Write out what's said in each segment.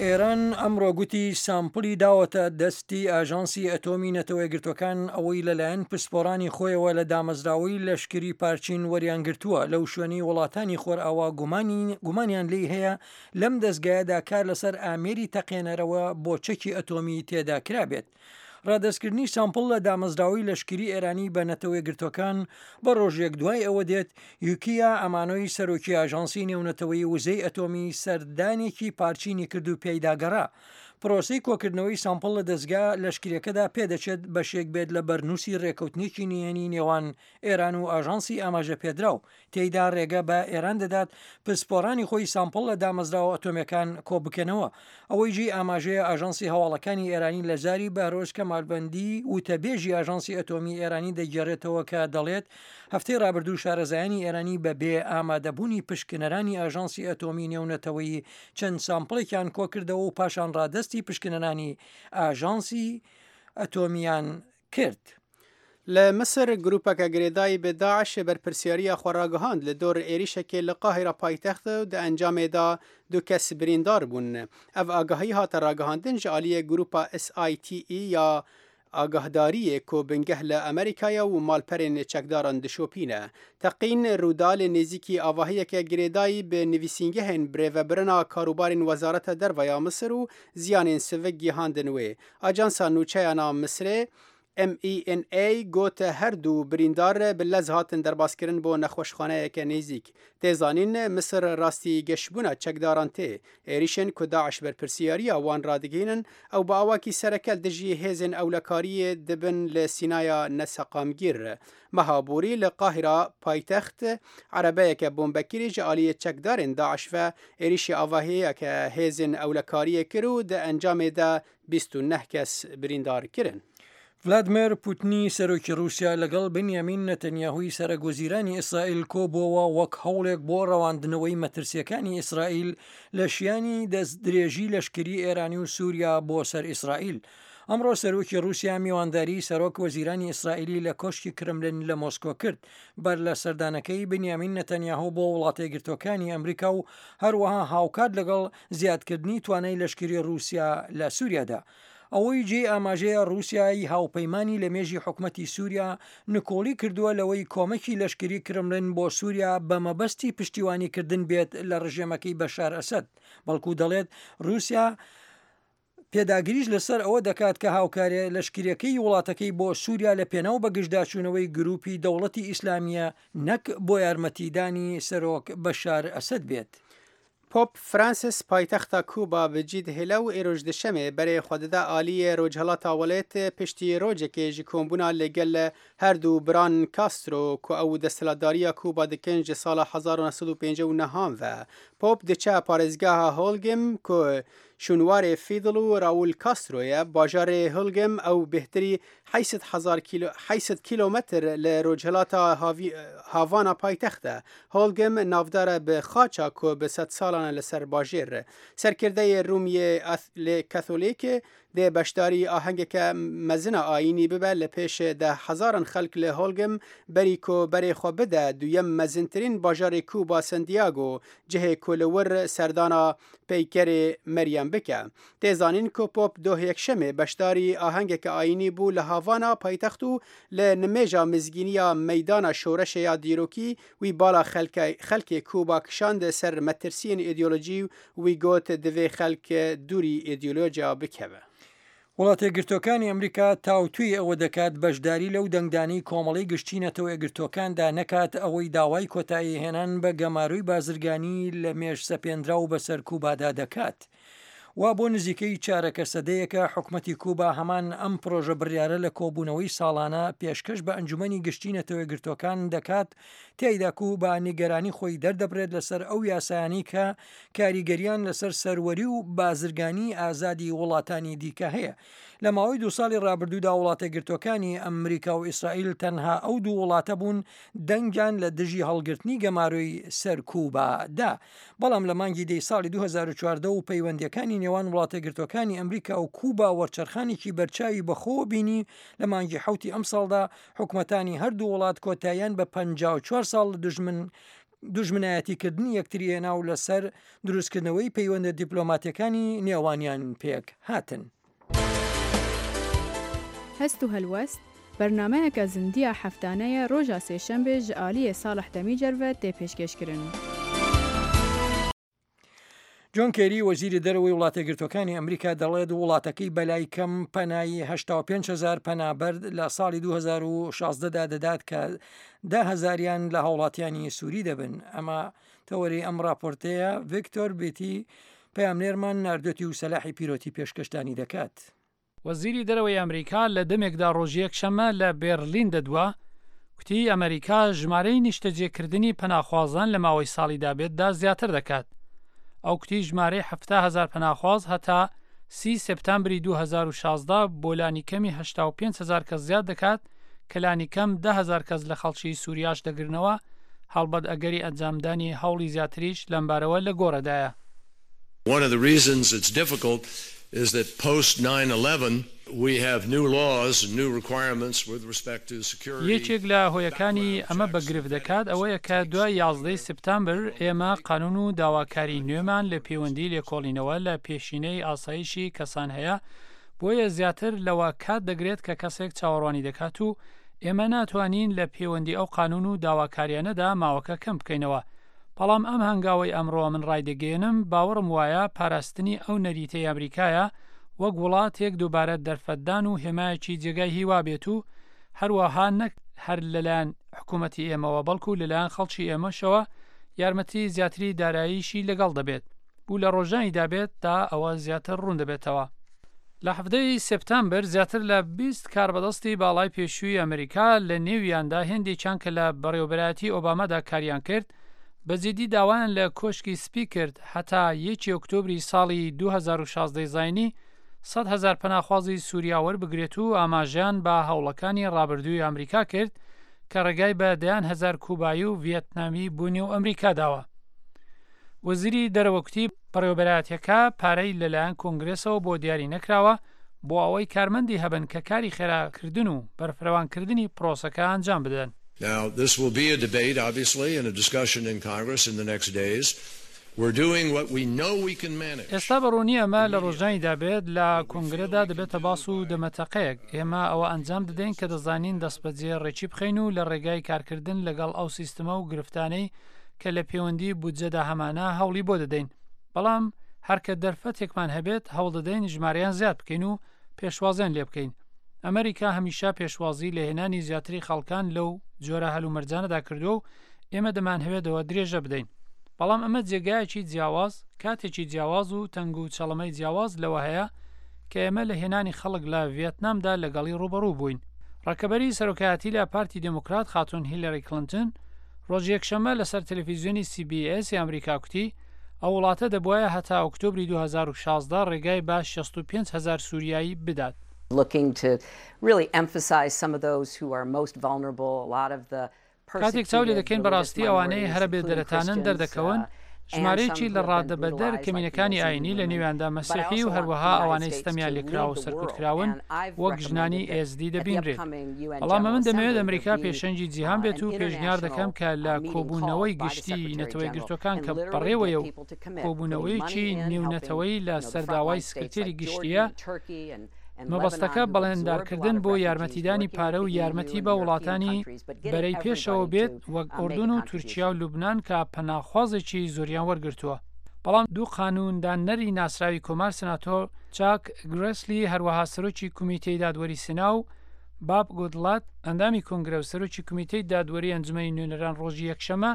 ئێران ئەمڕۆ گوتی سامپڵی داوەتە دەستی ئاژانسی ئەتۆمی نەتەوەیەکگرتووەکان ئەوەی لەلایەن پسپۆڕانی خۆیەوە لە دامەزراوەی لەشکری پارچین وەریانگرتووە لەو شوێنەی وڵاتانی خۆرئاوا گومانی گومانیان لێی هەیە لەم دەزگایەدا کار لەسەر ئامێری تەقێنەرەوە بۆ چەکی ئەتۆمی تێدا کرابێت. ڕادەستکردنی سامپڵ لە دامەزراوەی لەشکری ئێرانی بە نەتەوەیەکگرتووەکان بە ڕۆژێک دوای ئەوە دێت یوکیا ئامانۆی سەرۆکی ئاژانسی نێونەتەوەیی وزەی ئەتۆمی سەردانێکی پارچینی کرد و پێیدا گەڕا. پرۆسەی کۆکردنەوەی سامپڵ لە دەزگا لەشکریەکەدا پێدەچێت بەشێک بێت لە بەرنووسی ڕێکەوتنێکی نهێنی نێوان ئێران و ئاژانسی ئاماژەپێدراو تێیدا ڕێگە بە ئێران دەدات پسپۆڕانی خۆی سامپڵ لە دامەزراوە ئەتۆمیەکان کۆبکەنەوە. ئەوەی جێی ئاماژەیە ئاژانسی هەواڵەکانی ئێرانی لە زاری بەهرۆز کەمالبەندی وتەبێژی ئاژانسی ئەتۆمی ئێرانی دەگێڕێتەوە کە دەڵێت هەفتەی ڕابردوو شارەزایانی ئێرانی بە بێ ئامادەبوونی پشکنەرانی ئاژانسی ئەتۆمی نێونەتەوەیی چەند سامپڵێکیان کۆکردەوە و پاشان ڕادەستی پشکنەرانی ئاژانسی ئەتۆمیان کرد. Li Misir grûpeke girêdayî bi DAIŞ'ê berpirsyariya xwe ragihand li dor êrîşekê li Qahîra paytext û di encamê de du kes birîndar bûn. Ev agahî hate ragihandin ji aliyê grûpa SITE ya agahdariyê ku bingeh li Amerîka ye û malperên çekdaran dişopîne. Teqîn rûda li nêzîkî avahiyeke girêdayî bi nivîsîngehên birêvebirina karûbarên Wezareta Derve ya Misir û ziyanên sivik gihandin wê. Ajansa Nûçeyan a Misirê, MENA, got her du birîndar bi lez hatin derbaskirin bo nexweşxaneyeke nêzîk. Tê zanîn Misir rastî geşbûna çekdaran tê. Êrîşên ku DAIŞ berpirsiyariya wan radigihînin ew bi awakî sereke li dijî hêzên ewlekariyê dibin li Sînaya neseqamgîr. Meha borî li Qahîra paytext erebeyeke bombekirî ji aliyê çekdarên DAIŞ ve êrîşî avahiyeke hêzên ewlekariyê kir û di encamê de 29 kes birîndar kirin. ڤلادمێر پوتنی سەرۆکی ڕووسیا لەگەڵ بنیامین نەتەنیاهوی سەرەک وەزیرانی ئیسرائیل کۆبووەوە وەک هەوڵێک بۆ ڕەواندنەوەی مەترسیەکانی ئیسرائیل لە شیانی دەستدرێژی لەشکری ئێرانی و سووریا بۆ سەر ئیسرائیل. ئەمڕۆ سەرۆکی ڕووسیا میوانداری سەرۆک وەزیرانی ئیسرائیلی لە کۆشکی کرملن لە مۆسکۆ کرد بەر لە سەردانەکەی بنیامین نەتەنیاهۆ بۆ وڵاتەیەکگرتووەکانی ئەمریکا و هەروەها هاوکات لەگەڵ زیادکردنی توانای لەشکری ڕووسیا لە سووریادا. ئەوەی جێی ئاماژەیە ڕووسیای هاوپەیمانی لە مێژی حکومەتی سووریا نکۆڵی کردووە لەوەی کۆمەکی لەشکری کرملن بۆ سووریا بە مەبەستی پشتیوانیکردن بێت لە ڕژێمەکەی بەشار ئەسەد، بەڵکو دەڵێت ڕووسیا پێداگریش لەسەر ئەوە دەکات کە هاوکاریە لەشکریەکەی وڵاتەکەی بۆ سووریا لە پێناو بەگژداچوونەوەی گروپی دەوڵەتی ئیسلامیە نەک بۆ یارمەتیدانی سەرۆک بەشار ئەسەد بێت. پۆپ فرانسیس پایتەختا کوبا bi cî dihêle û îroj duşemê berê xwe dide aliyê rojhilata welêt piştî rojekê ji kombûna li gel her du biran Castro ku ew desthilatdariya Kuba dikin ji sala 1959 an ve. Pop diçe parêzgeha Holgim ku şûnwarê Fidel û Raul Castro ye, bajarê Holgim ew bêhtirî 800 hezar kîlo 800 kîlometr li rojhilata Havana paytext e. Holgim navdar e bi xaça ku bi sedsalan e li ser bajêr. Serkirdeyê Rûm yê lê Katolîk dê beşdarî ahengeke mezin a ayînî bibe li pêş deh hezaran xelk li Holgim berî ku berê xwe bide duyem mezintirîn bajarê Kuba Santiago, cihê ku li wir serdana peykerê Meryem bike. Tê zanîn ku Pop doh Yekşemê beşdarî ahengeke ayînî bû li Havana paytext û li nimêja mizgîniya Meydana Şoreşê ya dîrokî wî bala xelkê Kuba kişand ser metirsiyên îdeolojî û wî got divê xelk dûrî îdeolojiya bikeve. وڵاتەیەکگرتووەکانی ئەمریکا تاوتوێی ئەوە دەکات بەشداری لەو دەنگدانەی کۆمەڵەی گشتی نەتەوەیەکگرتووەکاندا نەکات ئەوەی داوای کۆتاییهێنان بە گەمارۆی بازرگانی لە مێژ سەپێنراو بەسەر کوبادا دەکات. وا بۆ نزیکەی چارەکە سەدەیەکە حکومەتی کوبا هەمان ئەم پرۆژە بڕیارە لە کۆبوونەوەی ساڵانە پێشکەش بە ئەنجومەنی گشتی نەتەوەیەکگرتووەکان دەکات تیایدا کوبا نیگەرانی خۆی دەردەبرێت لەسەر ئەو یاسایانەی کە کاریگەریان لەسەر سەروەری و بازرگانی ئازادی وڵاتانی دیکە هەیە. لە ماوەی دوو ساڵی ڕابردوودا وڵاتەیەکگرتووەکانی ئەمریکا و ئیسرائیل تەنها ئەو دوو وڵاتە بوون دەنگیان لە دژی هەڵگرتنی گەمارۆی سەر کوبا دا. بەڵام لە مانگی دەی ساڵی 2014 و پەیوەندییەکانی نێوان وڵاتەیەکگرتووەکانی ئەمریکا و کوبا وەرچەرخانێکی بەرچاوی بەخۆوە بینی، لە مانگی حەوتی ئەمساڵدا حکومەتانی هەردوو وڵات کۆتاییان بە 54 ساڵ لە دوژمن. دوژمنایەتیکردنی یەکتری هێنا و لەسەر دروستکردنەوەی پەیوەندە دیپلۆماتیەکانی نێوانیان پێک هاتن. هەست و هەلوەست، بەرنامەیەکە زندیە هەفتانەیە ڕۆژا سێشەمبێ ژ ئالیێ ساڵح دەمیجەر ڤە تێ پێشکێشکرن. جۆن کێری وەزیری دەرەوەی وڵاتەیەکگرتووەکانی ئەمریکا دەڵێت وڵاتەکەی بەلای کەم پەنای 85 هزار پەنابەر لە ساڵی 2016 دا دەدات کە ده هەزاریان لە هاوڵاتیانی سووری دەبن. ئەمە تەوەرەی ئەم راپۆرتەیە ڤیکتۆر بیتی پەیامنێرمان ناردوێتی و سەلاحی پیرۆتی پێشکەشتانی دەکات. وەزیری دەرەوەی ئەمریکا لە دەمێکدا ڕۆژی یەکشەممە لە بێرلین دەدوا، کوتی ئەمریکا ژمارەی نیشتەجێکردنی پەناخوازان لە ماوەی ساڵی دابێتدا زیاتر دەکات. ئەو کوتی ژمارەی 70 هەزار پەناخواز هەتا سی سێپتامبری 2016 بۆ لانیکەمی 85 هەزار کەس زیاد دەکات کە لانیکەم 10 هەزار کەس لە خەڵکی سوریاش دەگرنەوە، هەڵبەت ئەگەری ئەنجامدانی هەوڵی زیاتریش لەمبارەوە لە گۆڕێدایە. One of the reasons it's difficult is that post 9/11 we have new laws and new requirements with respect to security. یەکێک لە هۆیەکانی ئەمە بە گرفت دەکات ئەوەیە کە دوای یازدەی سپتامبر ئێمە قانون و داواکاری نوێمان لە پەیوەندی لێکۆڵینەوە لە پێشینەی ئاسایشی کەسان هەیە بۆیە زیاتر لەوە کات دەگرێت کە کەسێک چاوەڕوانی دەکات و ئێمە ناتوانین لە پەیوەندی ئەو قانون و داواکاریانەدا ماوەکە کەم بکەینەوە بەڵام ئەم هەنگاوەی ئەمڕۆ من ڕایدەگەیەنم باوەڕم وایە پاراستنی ئەو نەریتەی ئەمریکایە وەک وڵاتێک دووبارە دەرفەتدان و هێمایەکی جێگای هیوا بێت و هەروەها نەک هەر لەلایەن حکوومەتی ئێمەوە بەڵکو لەلایەن خەڵکی ئێمەشەوە یارمەتی زیاتری داراییشی لەگەڵ دەبێت و لە ڕۆژانی دابێت تا ئەوە زیاتر ڕوون دەبێتەوە. لە حەڤدە ی سێپتامبر زیاتر لە 20 کاربەدەستی باڵای پێشووی ئەمریکا لە نێویاندا هێندێکیان کە لە بەڕێوەبەرایەتی ئۆبامادا کاریان کرد بە جیدی داوایان لە کۆشکی سپی کرد هەتا یەکی ئۆکتۆبری ساڵی 2016 زاینی 100 هەزار پەناخوازی سوریا وەربگرێت و ئاماژەیان بە هەوڵەکانی ڕابردووی ئەمریکا کرد کە ڕێگای بە دەیان هەزار کوبایی و ڤیەتنامی بۆ نێو ئەمریکا داوە. وەزیری دەرەوە کوتی، بەڕێوەبەرایەتیەکە پارەی لەلایەن کۆنگرێسەوە بۆ دیاری نەکراوە بۆ ئەوەی کارمەندی هەبن کە کاری خێراکردن و بەرفرەوانکردنی پرۆسەکە ئەنجام بدەن. Now this will be a debate obviously and a discussion in Congress in the next days. We're doing what we know we can manage. ئێستا بە ڕوونی ئەمە لە ڕۆژانیدا بێت لە کۆنگرەدا دەبێتە باس و دەمەتەقەیەک. ئێمە ئەوە ئەنجام دەدەین کە دەزانین دەستبەجێ ڕێکی بخەین و لە ڕێگای کارکردن لەگەڵ ئەو سیستمە و گرفتانەی کە لە پێوەندی بودجەدا هەمانە هەوڵی بۆ دەدەین، بەڵام هەر کە دەرفەتێکمان هەبێت هەوڵ دەدەین ژمارەیان زیاد بکەین و پێشوازیان لێ بکەین. ئەمریکا هەمیشە پێشوازی لە هێنانی زیاتری خەڵکان لەو جۆرە هەلومەرجانەدا کردووە و ئێمە دەمانهەوێت ئەوە درێژە بدەین. بەڵام ئەمە جێگایەکی جیاواز، کاتێکی جیاواز و تەنگ و چەڵەمەی جیاواز لەوە هەیە کە ئێمە لە هێنانی خەڵک لە ڤیەتنامدا لەگەڵی ڕووبەڕوو بووین. ڕکەبەری سەرۆکایەتی لە پارتی دێموکرات خاتوون هیلەری کڵنتن ڕۆژی یەکشەممە لەسەر تەلەفیزیۆنی سی بی ئێس ی ئەمریکا کوتی، ئەو وڵاتە دەبوایە هەتا ئۆکتۆبری 2016 ڕێگای بە 65 هەزار سوریایی بدات. looking to really emphasize some of those who are most vulnerable, a lot of the کاتێک چاو لێ دەکەین بەڕاستی ئەوانەی هەرە بێ دەرەتانن دەردەکەون، ژمارەیەکی لە ڕادەبەدەر کەمینەکانی ئایینی لە نێویاندا مەسیحی و هەروەها ئەوانەی ستەمیان لێکراوە و سەرکوتکراون وەک ژنانی ئێزدی دەبینرێت. بەڵام ئەمن دەمەوێت ئەمریکا پێشەنگی جیهان بێت و پێشنیار دەکەم کە لە کۆبوونەوەی گشتیی نەتەوەیەکگرتووەکان کە بەڕێوەیە و کۆبوونەوەیەکی نێونەتەوەیی لە سەر داوای سکرتێری گشتییە، مەبەستەکە بەڵێندارکردن بۆ یارمەتیدانی پارە و یارمەتی بە وڵاتانی بەرەی پێشەوە بێت وەک ئوردون و تورکیا و لوبنان کە پەناخوازێکی زۆریان وەرگرتووە. بەڵام دوو قانوندانەری ناسراوی کۆمار سناتۆر چاک گرێسلی هەروەها سەرۆکی کومیتەی دادوەری سنا و باب گودڵات ئەندامی کۆنگرە و سەرۆکی کومیتەی دادوەری ئەنجومەنی نوێنەران ڕۆژی یەکشەمە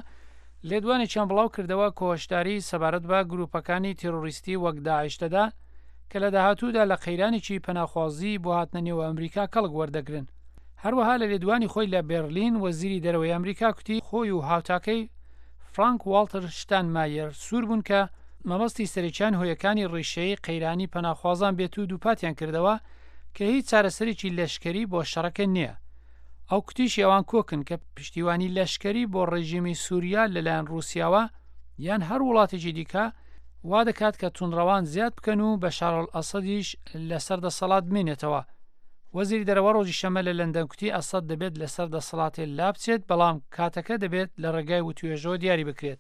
لێدوانێکیان بڵاو کردەوە کە هۆشداری سەبارەت بە گروپەکانی تێرۆریستی وەک داعش دەدا کە لە داهاتوودا لە قەیرانێکی پەناخوازی بۆ هاتنە نێو ئەمریکا کەڵک وەردەگرن. هەروەها لە لێدوانی خۆی لە بێرلین وەزیری دەرەوەی ئەمریکا کوتی خۆی و هاوتاکەی فرانک واڵتر شتانمایەر سوور بوون کە مەبەستی سەرەکیان هۆیەکانی ڕیشەیی قەیرانی پەناخوازان بێت و دووپاتیان کردەوە کە هیچ چارەسەرێکی لەشکەری بۆ شەڕەکە نییە. ئەو کوتیشی ئەوان کۆکن کە پشتیوانی لەشکەری بۆ ڕێژیمی سووریا لەلایەن ڕووسیاوە یان هەر وڵاتێکی دیکە وا دەکات کە توندڕەوان زیاد بکەن و بەشارئەلئەسەدیش لەسەر دەسەڵات بمێنێتەوە. وەزیری دەرەوە ڕۆژی شەممە لە لەندەن کوتی ئەسەد دەبێت لەسەر دەسەڵاتێ لابچێت، بەڵام کاتەکە دەبێت لە ڕێگای وتوێژەوە دیاری بکرێت.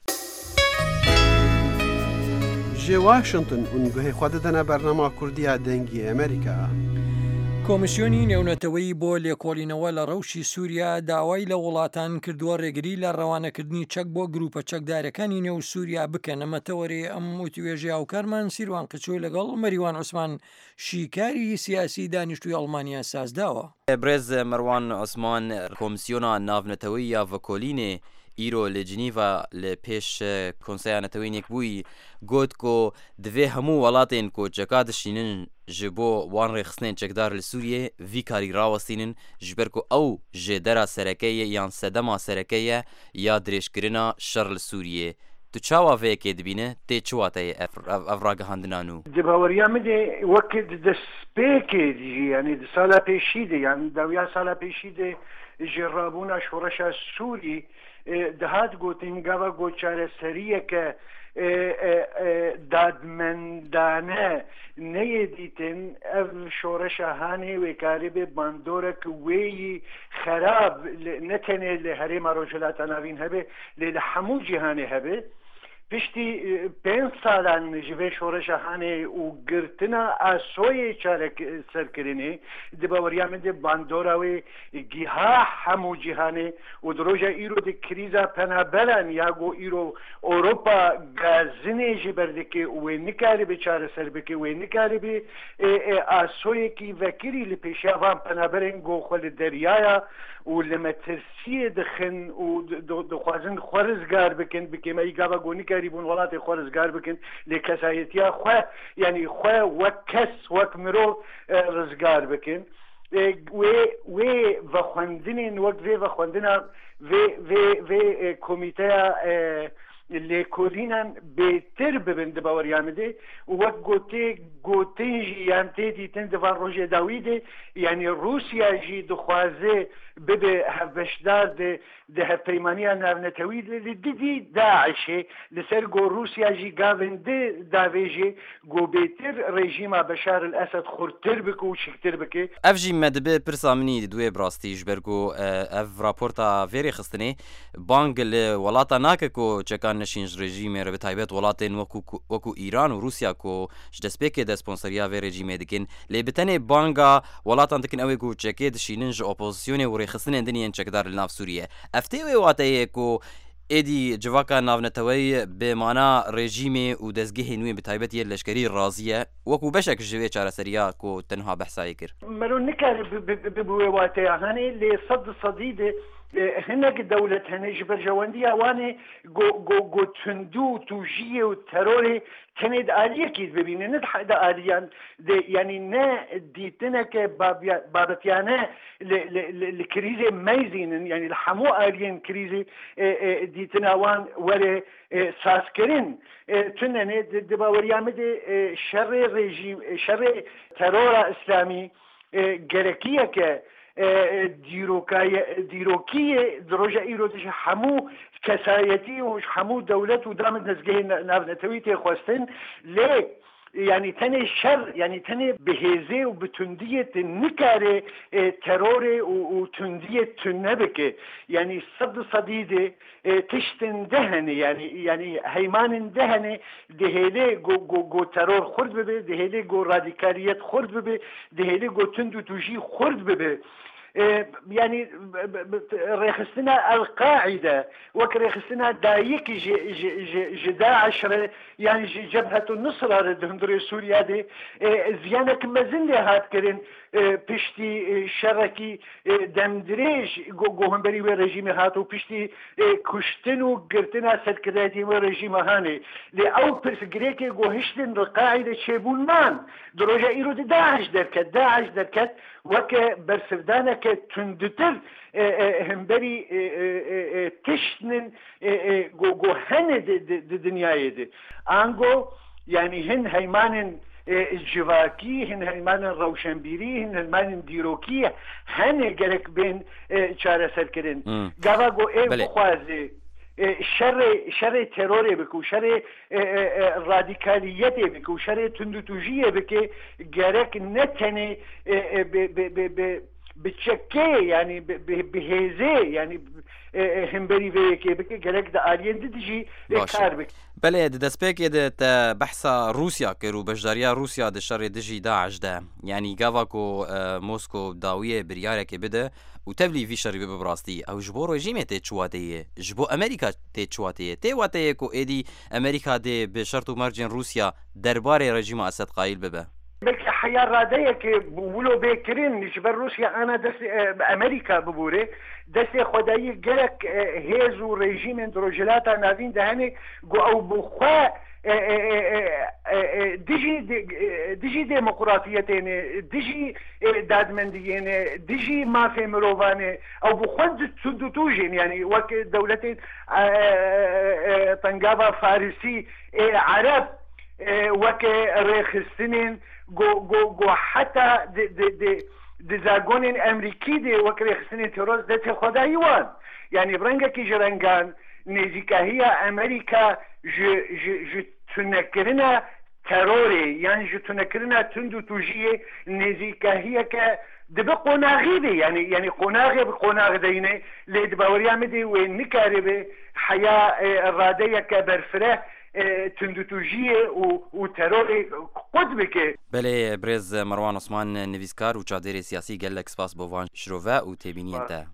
Ji Washington hûn guhê xwe didine bernama Kurdî ya Dengê Amerîka. کۆمیسیۆنی نێونەتەوەیی بۆ لێکۆڵینەوە لە ڕەوشی سووریا داوای لە وڵاتان کردووە ڕێگری لە ڕەوانەکردنی چەک بۆ گرووپە چەکدارەکانی نێو سووریا بکەن، ئەمە تەوەرەی ئەم وتوێژەی هاوکارمان سیروان قچۆ لەگەڵ مەریوان عوسمان شیکاری سیاسی دانیشتووی ئەڵمانیا سازداوە. برێز مەروان عوسمان کۆمسیۆنا ناڤنەتەوەیی یا ڤکۆلینێ ئیرۆ لە جنیڤا لە پێش کۆنسەیا نەتەوەین یەکبوویی گۆت کۆ divê hemû welatên ku çeka dişînin ji bo wan rêxistinên çekdar li Sûriyê vî karî rawestînin ji ber ku ew ji dera sereke ye yan sedema sereke ye ya dirêjkirina şer li Sûriyê. Tu çawa vê yekê dibîni, tê çi wateyê ev ev ragihandina nû? Di baweriya min de wek di destpêkê de jî yanî di sala pêşî de yan dawiya sala pêşî de ji rabûna şoreşa Sûrî dihat gotin gava ku çareseriyeke dadmendane neyê dîtin ev şoreşa hanê wê karibe bandorek wê yî xerab ne tenê li herêma Rojhilata Navîn hebe lê li hemû cîhanê hebe. Piştî pênc salan ji vê şoreşa hanê û girtina asoyê çareserkirinê di baweriya min de bandora wê giha hemû cîhanê û di roja îro de krîza penaberan ya ku îro Ewropa gazinê ji ber dike û wê nikaribe çareser bike, wê nikaribe asoyekî vekirî li pêşiya van penaberên ku xwe li deryaya û li metirsiyê dixin û dixwazin xwe rizgar bikin, bi kêmeyî gava ku nikarîbûn welatê xwe rizgar bikin lê kesayetiya xwe yanî xwe wek kes, wek mirov rizgar bikin. Wê wê vexwendinên wek vê vexwendina vê vê vê komîteya lêkolînan bêtir bibin di baweriya min de û wek ku tê gotin jî yan tê dîtin di van rojê dawî de yanî Rûsya jî dixwaze bibe hevbeşdar di Di hevpeymaniya navnetewî de li dijî DAIŞ'ê li ser ku Rûsya jî gavên di davêjê ku bêtir rejîma Beşar el Esed xurttir bike û şiktir bike. Ev jî me dibe pirsa min î di duê bi rastî ji ber ku ev raporta vê rêxistinê bang li welatan nake ku çekan neşîn ji rejîmê re bi taybet welatên wekû wekû Îran û Rûsya ku ji destpêkê de sponsoriya vê rejîmê dikin lê bi tenê banga Welatan dikin ew ê ku çekê dişînin ji opozisyonê û rêxistinên din yên çekdar li nav Sûriyê. Ev tê wê wateyê ku êdî civaka navneteweyî bi mana rejîmê û dezgehên wê bi taybet yên leşkerî razî ye wekû beşek ji wê çareseriya ku te niha behsa yê kir. Mero nikare bi wê wateya hanê lê sed di sedî de hinek dewlet hene ji berjewendiya wan ê ku tundû û tûjiyê û terorê Tenê di aliyekî bibîne ne di aliyan de yanî ne dîtineke babetyane li krîzê meyzînin yanî li hemû aliyên krîzê dîtina wan were sazkirin. Tune ne di baweriya min de şerê rejîm şerê terora îslamî Gerekiyeke dîrokî ye di roja îro de ji hemû kesayetî û ji hemû dewlet û damên dezgehên navnetewî tê xwestin lê yanî tenê şer yanî tenê bi hêzê û bi tundiyê tu nikarê terorê û tundiyê tune bike yanî sed sedî dê Tiştên di hene yanî yanî heymanên di hene dihêlê ku ku ku teror xurt bibe, dihêlê ku radîkaliyet xurt bibe, dihêlê ku tund û tûjî xurt bibe. Yanî rêxistina El Qaîde wek rêxistina dayik ji ji ji ji DAIŞ re yan ji Cebhet Nusra re di hundirê Sûriya de ziyanek mezin lê hat kirin piştî şerekî Demdirêj ku hemberî wê rejîmê hat û piştî kuştin û girtina serkirdayetiyên wê rejîma hanê lê ew pirsgirêkê ku hiştin li Qaîde çêbûn man. Di roja îro de DAIŞ derket. DAIŞ derket weke bersivdaneke tundtir hemberî tiştnin ku hene di dinyayê de. Ango yanî hin heymanên civakî, hin heymanên rewşenbîrî, hin heymanên dîrokî hene gerek bên çareserkirin. Gava ku êv bixwaze. شەڕێ شەڕێ تێرۆرێ بکە و شەڕێ ڕادیکالییەتێ بکە و شەڕێ توندوتوژییێ بکێ گەرەک نە تەنێ bi çekê yanî bi hêzê yanî himberî vê yekê bike gerek di aliyên di dijî kar bike. Belê di destpêkê de te behsa Rûsya kir û beşdariya Rûsya di şerê dijî DAIŞ de. Yanî gava ku Mosko dawiyê biryarekê bide û tevlî vî şerî bibe bi rastî ew ji bo rejîmê tê çi wateyê, ji bo Amerîka tê çi wateyê? Tê wateyê ku êdî Amerîka dê bi şert û mercên Rûsya derbarê rejîma Esed qayîl bibe. Belkî heya radeyekê wilo bê kirin ji ber Rûsya ana destê Amerîka bibûre destê xwedayî gelek hêz û rejîmên di Rojhilata Navîn de hene ku ew bi xwe dijî dijî demokratiyetê ne, dijî dadmendiyê ne, dijî mafê mirovan e, ew bi xwe tundûtûjên yanî wek dewletên Tengava Farisî ê Ereb wek rêxistinên ku ku ku heta di di di di zagonên Emrîkî de wek rêxistinên terorist destê xwe dayî wan. Yanî bi rengekî ji rengan nêzîkahiya Amerîka ji ji ji tunekirina terorê yan ji tunekirina tund û tûjiyê nêzîkahiyeke dibe qonaxî bê yanî yanî qonaxê bi qonax deyne lê di baweriya min de wê nikaribe heya radeyeke berfireh tundûtûjiyê û û terorê qut bike. Belê birêz Merwan Osman nivîskar û çavdêrê siyasî gelek spas bo van şirove û têbîniyên te.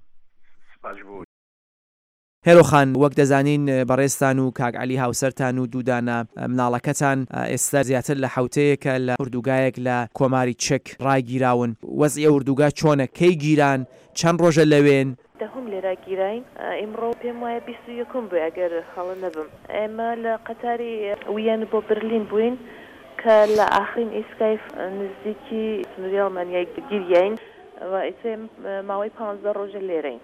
Spas ji bo. هێرۆ خان وەک دەزانین بەڕێزتان و کاک عەلی هاوسەرتان و دوو دانە مناڵەکەتان ئێستا زیاتر لە حەوتەیەکە لە ئوردوگایەک لە کۆماری چک ڕاگیراون وەزعی ئەو ئوردوگا چۆنە کەی گیران چەند ڕۆژە لەوێن؟ دەهوم لێرە گیراین ئیمڕۆ پێم وایە 21 بووێ ئەگەر هەڵە نەبم. ئێمە لە قەتاری ویەن بۆ برلین بووین کە لە ئاخرین ئیسکای نزیکی سنووری ئەڵمانیای گیریاین و ئیتر ماوەی پانزدە ڕۆژە لێرەین.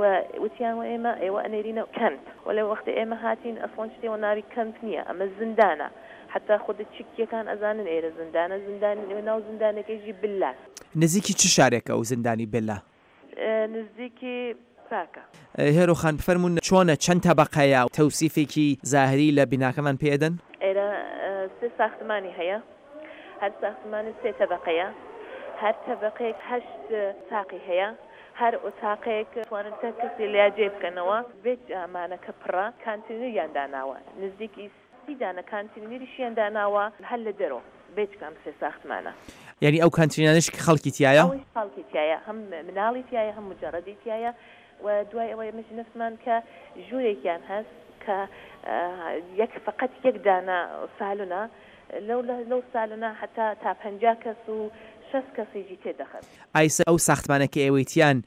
و وتیان وە ئێمە ئێوە ئەنێرینە کەمپ وەلێ وەختێ ئێمە هاتین ئەسڵەن شتێ وە ناوی کەمپ نییە ئەمە زیندانە حەتا خودە چکیەکان ئەزانن ئێرە زیندانە زیندان ناو زیندانەکەیشی بلاس. نزیکی چ شارێکە ئەو زیندانی بلا؟ نزیکی پراکە. هێرۆ خان بفەرموون چۆنە چەند تەبەقەیە تەوسیفێکی زاهری لە بیناکەمان پێ ئەدەن؟ ئێرە سێ ساختمانی هەیە هەر ساختمانێ سێ تەبەقەیە هەر تەبەقەیەک هەشت تاقی هەیە هەر ئۆتاقێک توانن تەک کەسێ لیا جێ بکەنەوە بێ جامانەکە پڕە کانتینریان داناوە نزیکی سی دانە کانتینریشیان داناوە هەر لە دەرۆ بێجگە ئەم سێ ساختمانە. یانی ئەو کانتینانەش کە خەڵکی تیایە؟ ئەوەیش خەڵکی تیایە هەم مناڵی تیایە هەم موجەڕەدی تیایە و دوای ئەوە ئێمە ژنەفتمان کە ژوورێکیان هەس کە یەک فەقەت یەک دانە سالونە لەو لەو سالونە هەتا تا 50 کەس و شەست کەسیشی تێ دەخەن. ئایسە ئەو ساختمانە کە ئێوەی تیان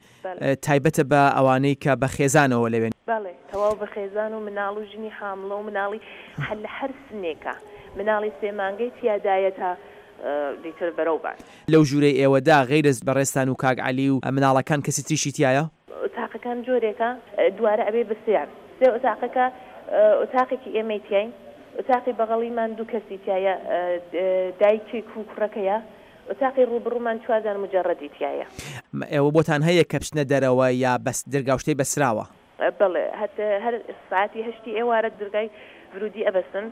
تایبەتە بە ئەوانەی کە بە خێزانەوە لەوێن؟ بەڵێ تەواو بە خێزان و مناڵ و ژنی حامڵە و مناڵی هەر لە هەر سنێکا مناڵی سێ مانگەی تیادایە تا دیتر بەرەو بان. لەو ژوورەی ئێوەدا غەیرەز بەڕێزتان و کاک عەلی و مناڵەکان کەسی تریشی تیایە؟ ئۆتاقەکان جۆرێکە دوارە ئەبێ بە سێیان سێ ئۆتاقەکە ئۆتاقێکی ئێمەی تیاین ئۆتاقی بەغەڵیمان دوو کەسی تیایە دایکێک و کوڕەکەیە ئۆتاقی ڕووبڕوومان چوار دانە موجەڕەدی تیایە. ئێوە بۆتان هەیە کە بچنە دەرەوە یا بەس درگاو شتەی بەسراوە؟ بەڵێ هەر هەر سەعاتی هەشتی ئێوارە درگای ورودی ئەبەسن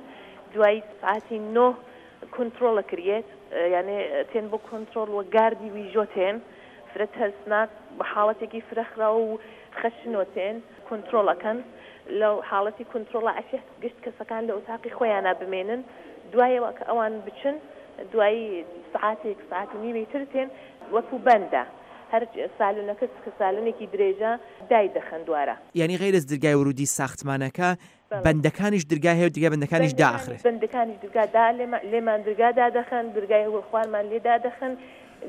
دوای سەعاتی نۆ کونتڕۆڵ ئەکریێت یانێ تێن بۆ کۆنتڕۆڵ وە گاردی ویژۆ تێن فرە تەرسناک بە حاڵەتێکی فرە خراو و خەشنۆ تێن کونتڕۆڵ ئەکەن لەو حاڵەتی کونتڕۆڵا ئەشێ گشت کەسەکان لە ئوتاقی خۆیانا بمێنن دوایەوە کە ئەوان بچن دوایی سەعاتێک سەعات و نیوێ تر تێن وەکوو بەندە هەر سالونەکە کە سالونێکی درێژە دای دەخەن دوارە. یانی غەیرەز درگای ورودی ساختمانەکە بەندەکانیش درگای هەیە و درگای بەندەکانیش دائەخرێ. بەندەکانیش درگا دا لێمان درگا دادەخەن درگای خوارمان لێ دادەخەن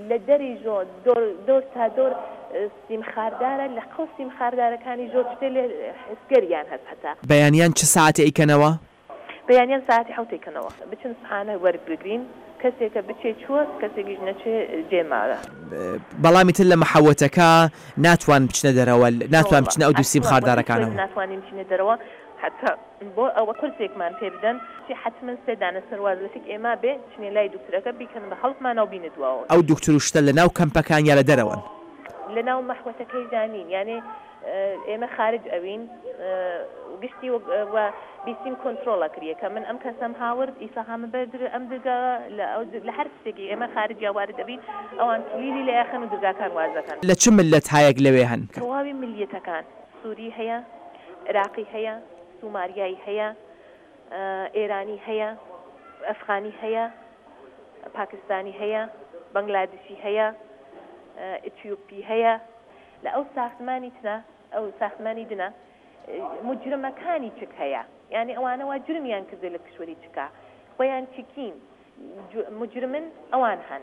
لە دەری ژۆ دۆر دۆر تا دۆر سیم خاردارە لە قەو سیم خاردارەکانی ژۆ شتێ لێ حسگەریان هەس هەتا. بەیانیان چ ساعەتێ ئەیکەنەوە؟ بەیانیان ساعەتی حەوت ئەیکەنەوە. بچن سحانە وەربگرین کەسێکە بچێ چووە کەسێکیش نەچێ جێ ماوە. بەڵام ئیتر لە محەوەتەکە ناتوان بچنە دەرەوە ناتوان بچنە ئەو دوو سیم خاردارەکانەوە. ناتوانین بچینە دەرەوە حەتا بۆ ئەوە قورسێکمان پێ بدەن چی حەتمەن سێ دانە سەرواز لەتک ئێمە بێ چنێ لای دوکترەکە بیکەن بە هەڵپمانا و بینە دواوە. ئەو دوکتر و شتە لە ناو کەمپەکان یا لە دەرەوەن؟ لە ناو مەحوەتەکەیشدا نین یانێ. ئێمە خارج ئەوین گشتی و بیسیم کۆنترۆڵ ئەکریە کە من ئەم کەسەم هاورد ئیسا هامە بەر ئەم درگا لە ئەو لە هەر شتێکی ئێمە خارج یا وارد ئەبین ئەوان کلیلی لێ ئەخەن و درگاکان واز ئەکەن. لە چ مللەتهایەک لەوێ هەن؟ تەواوی ملیەتەکان سوری هەیە عراقی هەیە سوماریایی هەیە ئێرانی هەیە ئەفغانی هەیە پاکستانی هەیە بەنگلادشی هەیە ئیتیوپی هەیە لە ئەو ساختمانی ترە ئەو ساختمانی دنە موجرمەکانی چک هەیە یانی ئەوانە وا جرمیان کردە لە کشوەری چکا خۆیان چکین موجرمن ئەوان هەن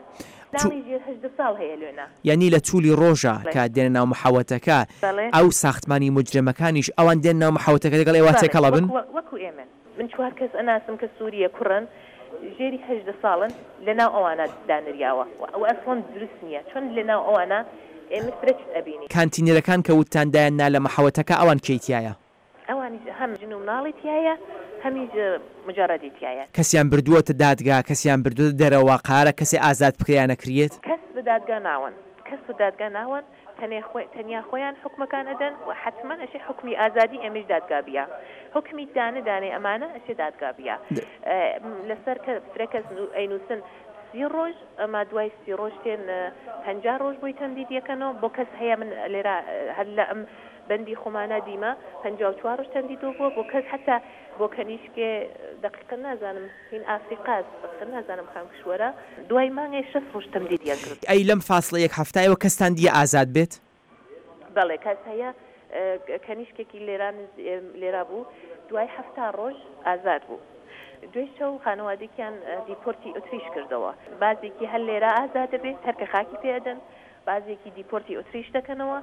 مناڵی ژێر 18 ساڵ هەیە لۆنا. یانی لە تولی ڕۆژا کە دێنە ناو محەوەتەکە ئەو ساختمانی موجرمەکانیش ئەوان دێنە ناو محەوەتەکە لەگەڵ ئێوە تێکەڵ ئەبن؟ وەکو ئێمەن. من چوار کەس ئەناسم کە سوریە کوڕن ژێری 18 ساڵن لەناو ئەوانە دانریاوە و ئەسڵەن دروست نیە چۆن لەناو ئەوانە ئێمە فرە چت ئەبینین. کانتینەرەکان کە وتتان دایان نا لە محەوەتەکە ئەوان کێی تیایە؟ ئەوانیش هەم ژن و مناڵی تیایە هەمیش مجەڕەدی تیایە. کەسیان بردووەتە دادگا کەسیان بردووەتە دەرەوە قارە کەسێ ئازاد بکرێ یا نەکریێت؟ کەس بە دادگا ناوەن کەس بە دادگا ناوەن تەنێ خۆی تەنیا خۆیان حوکمەکان ئەدەن و حەتمەن ئەشێ حوکمی ئازادی ئێمەیش دادگا بیە حوکمی دانە دانەی ئەمانە ئەشێ دادگا بیە لەسەر کە فرە کەس ئەینوسن سی ڕۆژ ئەما دوای سی ڕۆژ تێن 50 ڕۆژ بۆی تەمدید یەکەنەوە بۆ کەس هەیە من لێرە هەر لە ئەم بەندی خۆمانە دیمە 54 ڕۆژ تەمدیدۆ بووە بۆ کەس حتا بۆ کەنیشکێ دقیقە نازانم هین ئافریقاس دقیقە نازانم خام کشوەرە دوای مانگێ شەست ڕۆژ تەمدیدیان کرد. ئەی لەم فاسڵە یەک هەفتە ئێوە کەستان دیە ئازاد بێت؟ بەڵێ کەس هەیە کەنیشکێکی لێرا لێرا بوو دوای حەفتا ڕۆژ ئازاد بوو دوێ شەو خانەوادێکیان دیپۆرتی ئۆتریش کردەوە بازێکی هەر لێرا ئازاد دەبێت هەر کە خاکی پێ ئەدەن بازێکی دیپۆرتی ئۆتریش دەکەنەوە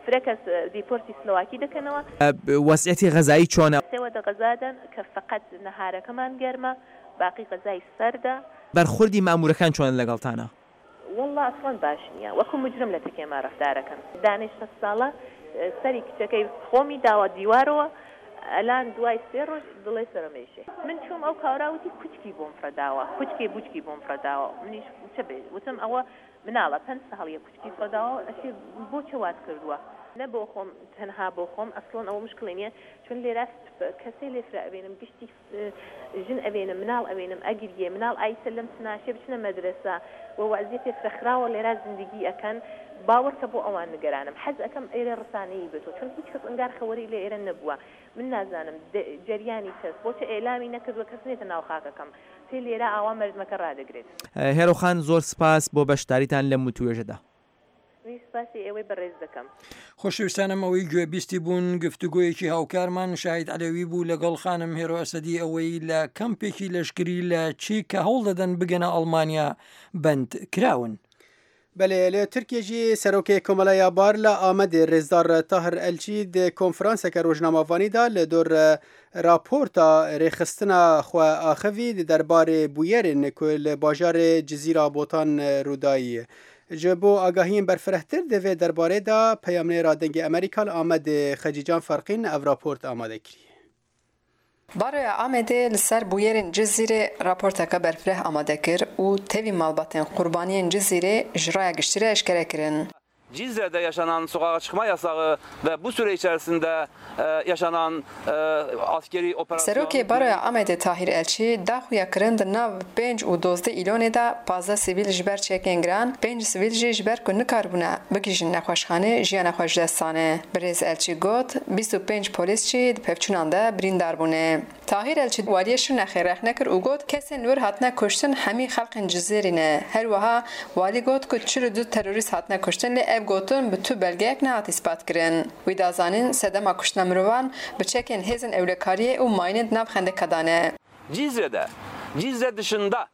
فرە کەس دیپۆرتی سلۆواکی دەکەنەوە. وەزعیەتی غەزایی چۆنە؟ سێ وەدە غەزادەن کە فەقەت نەهارەکەمان گەرمە باقی غەزای سەردە. بەرخوردی مامورەکان چۆنە لەگەڵتانا؟ وەڵا ئەسڵەن باش نیە وەکو مجرم لە تەکێما رەفتارەکەن دانەی شەست ساڵە سەری کچەکەی خۆمی داوە دیوارەوە ئەلان دوای سێ ڕۆژ دڵێ سەرم ئێشێ من چوم ئەو کاورا وتی کوچکی بۆم فڕەداوە کوچکێ بوچکی بۆم فڕەداوە منیش چە بێ وتم ئەوە مناڵە پەنج ساڵیە کوچکی فڕەداوە ئەشێ بۆ چە وات کردوە نە بۆ خۆم تەنها بۆ خۆم ئەسڵەن ئەوە مشکڵی نیە چون لێرا کەسێ لێ فرە ئەبینم گشتی ژن ئەبینم مناڵ ئەبینم ئەگریێ مناڵ ئایسە لەم سناشێ بچنە مەدرەسە و وەزیەتێ فرە خراوە لێرا زندگی ئەکەن باوەڕکە بۆ ئەوان نگەرانم حەز ئەکەم ئێرە ڕسانەیی بێتەوە چون هیچ کەس ئەنگار خەوەری لە ئێرە نەبووە من نازانم جەریانی چەس بۆچە ئیعلامی نەکردوە کەس نێتە ناو خاکەکەم تێ لێرە ئاوا مەردمەکە ڕادەگرێت. هێرۆ خان زۆر سپاس بۆ بەشداریتان لەم وتوێژەدا. منیش سپاسی ئێوەی بەڕێز دەکەم. خۆشەویستانم ئەوەی گوێ بیستی بوون گفتوگۆیەکی هاوکارمان شاهید عەلەوی بوو لەگەڵ خانم هێرۆ ئەسەدی ئەوەی لە کەمپێکی لەشکری لە چیک کە هەوڵ دەدەن بگەنە ئەڵمانیا بەند کراون. Belê li Tirkiyê jî Serokê Komeleya Bar li Amedê Rêzdar Tahir Elçî di konferanseke rojnamevanî de li dor raporta rêxistina xwe axivî di derbarê bûyerên ku li bajarê Cizîra Botan rûdayî. Ji bo agahiyên berfirehtir di vê derbarê de peyamnêra Dengê Amerîka li Amedê Xecîcan Ferqîn ev raport amade kiriye. Baroya Amedê li ser bûyerên Cizîrê raporteke berfireh amade kir û tevî malbatên qurbaniyên Cizîrê ji raya giştî re eşkere kirin. Cizre'de yaşanan sokağa çıkma yasağı ve bu süre içerisinde yaşanan askeri operasyon Serokê Baroya Amedê Tahîr Elçî da xuyakirin di nav pênc û dozdeh Îlonê de 15 sivîl ji ber çekên giran, pênc sivîl jî ji ber ku nikaribûne bigihîjin nexweşxanê jiyana xwe ji dest dane. Birêz Elçî got, 25 polîs jî di pevçûnan de birîndar bûne. Tahîr Elçî waliyê Şirnexê rexne kir û got, kesên li wir hatine kuştin hemî xelqên Cizîrî ne. Her wiha walî got ku 42 terorîst hatine kuştin lê ev gotin bi tu belgeyek nehat îspatkirin. Wî da zanîn sedema kuştina mirovan bi çekên hêzên ewlekariyê û mayînên di nav xendeka de ne. Cizre'de, Cizre dışında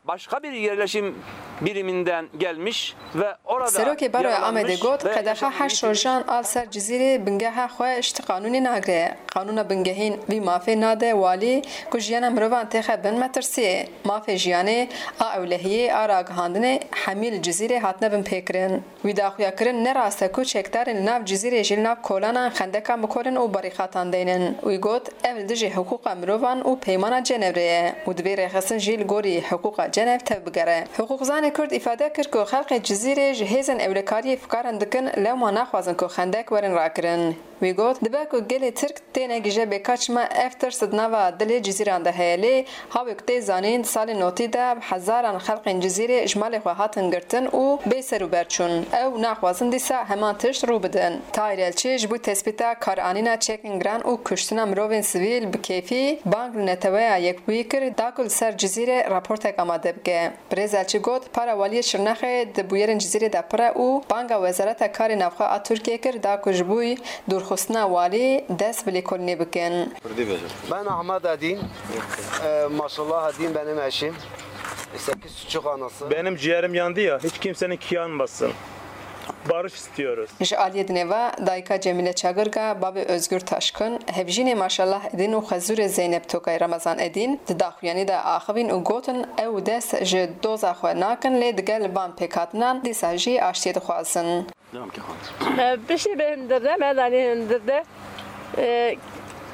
başka bir yerleşim biriminden gelmiş ve orada Serokê Baroya yaralanmış Amedê got, ve Qedexa yaşamını heşt yitirmiş rojan a li ser Cizîrê bingeha xwe ji ti qanûnê nagire. Qanûna bingehîn vî mafê nade walî ku jiyana mirovan têxe bin metirsiyê. Mafê jiyanê, a ewlehiyê, a ragihandinê hemî li Cizîrê hatine binpêkirin. Wî daxuyakirin ne rast e ku çekdarên li nav Cizîrê jî li nav kolanan xendekan bikolin û barîkatan deynin. Wî got, ev li dijî hiqûqa mirovan û peymana Cenevrê ye û divê rêxistin jî li gorî hiqûqa Cenev tevbigere. Hiqûqzanê. Parlementerê Kurd îfade kir ku xelkê Cizîrê ji hêzên ewlekariyê fikaran dikin lewma naxwazin ku xendek werin rakirin. Wî got, Dibe ku gelê Tirk tênegihîje bê ka çima ev tirs di nava dilê Cizîran de heye lê hawê ku tê zanîn di salên notî de bi hezaran xelkên Cizîrê ji malê xwe hatin girtin û bê ser û ber çûn. Ew naxwazin dîsa heman tişt rû bidin. Tahir Elçî ji bo tespîta karanîna çekên giran û kuştina mirovên sivîl bi kêfî bang li Neteweya Yekbûyî kir da ku li ser Cizîrê raportek amade bike. Birêz Elçî got, Para Waliyê Şirnexê di bûyerên Cizîrê de pir e û banga Wezareta Karê Navxwe a Tirkiyê kir da ku ji bo dûrxistina walî dest bi lêkolînê bikin. Ben Ahmet Edîn, Maşallah Edîn benim eşim, sekiz çocuk anası. Benim ciğerim yandı ya, hiç kimsenin ki yanmasın. Barış istiyoruz. Ji aliyê dinê ve dayika Cemîle Çagirga, bavê Ozgur Taşkın, hevjînê Maşallah Edîn û xezûrê Zeynep Tokay Ramazan Edîn di daxuyanî de axivîn û gotin ew dest ji doza xwe nakin lê digel van pêkhatinan dîsa jî aştiyê dixwazin. Piştî bi hindirde me danî hindirde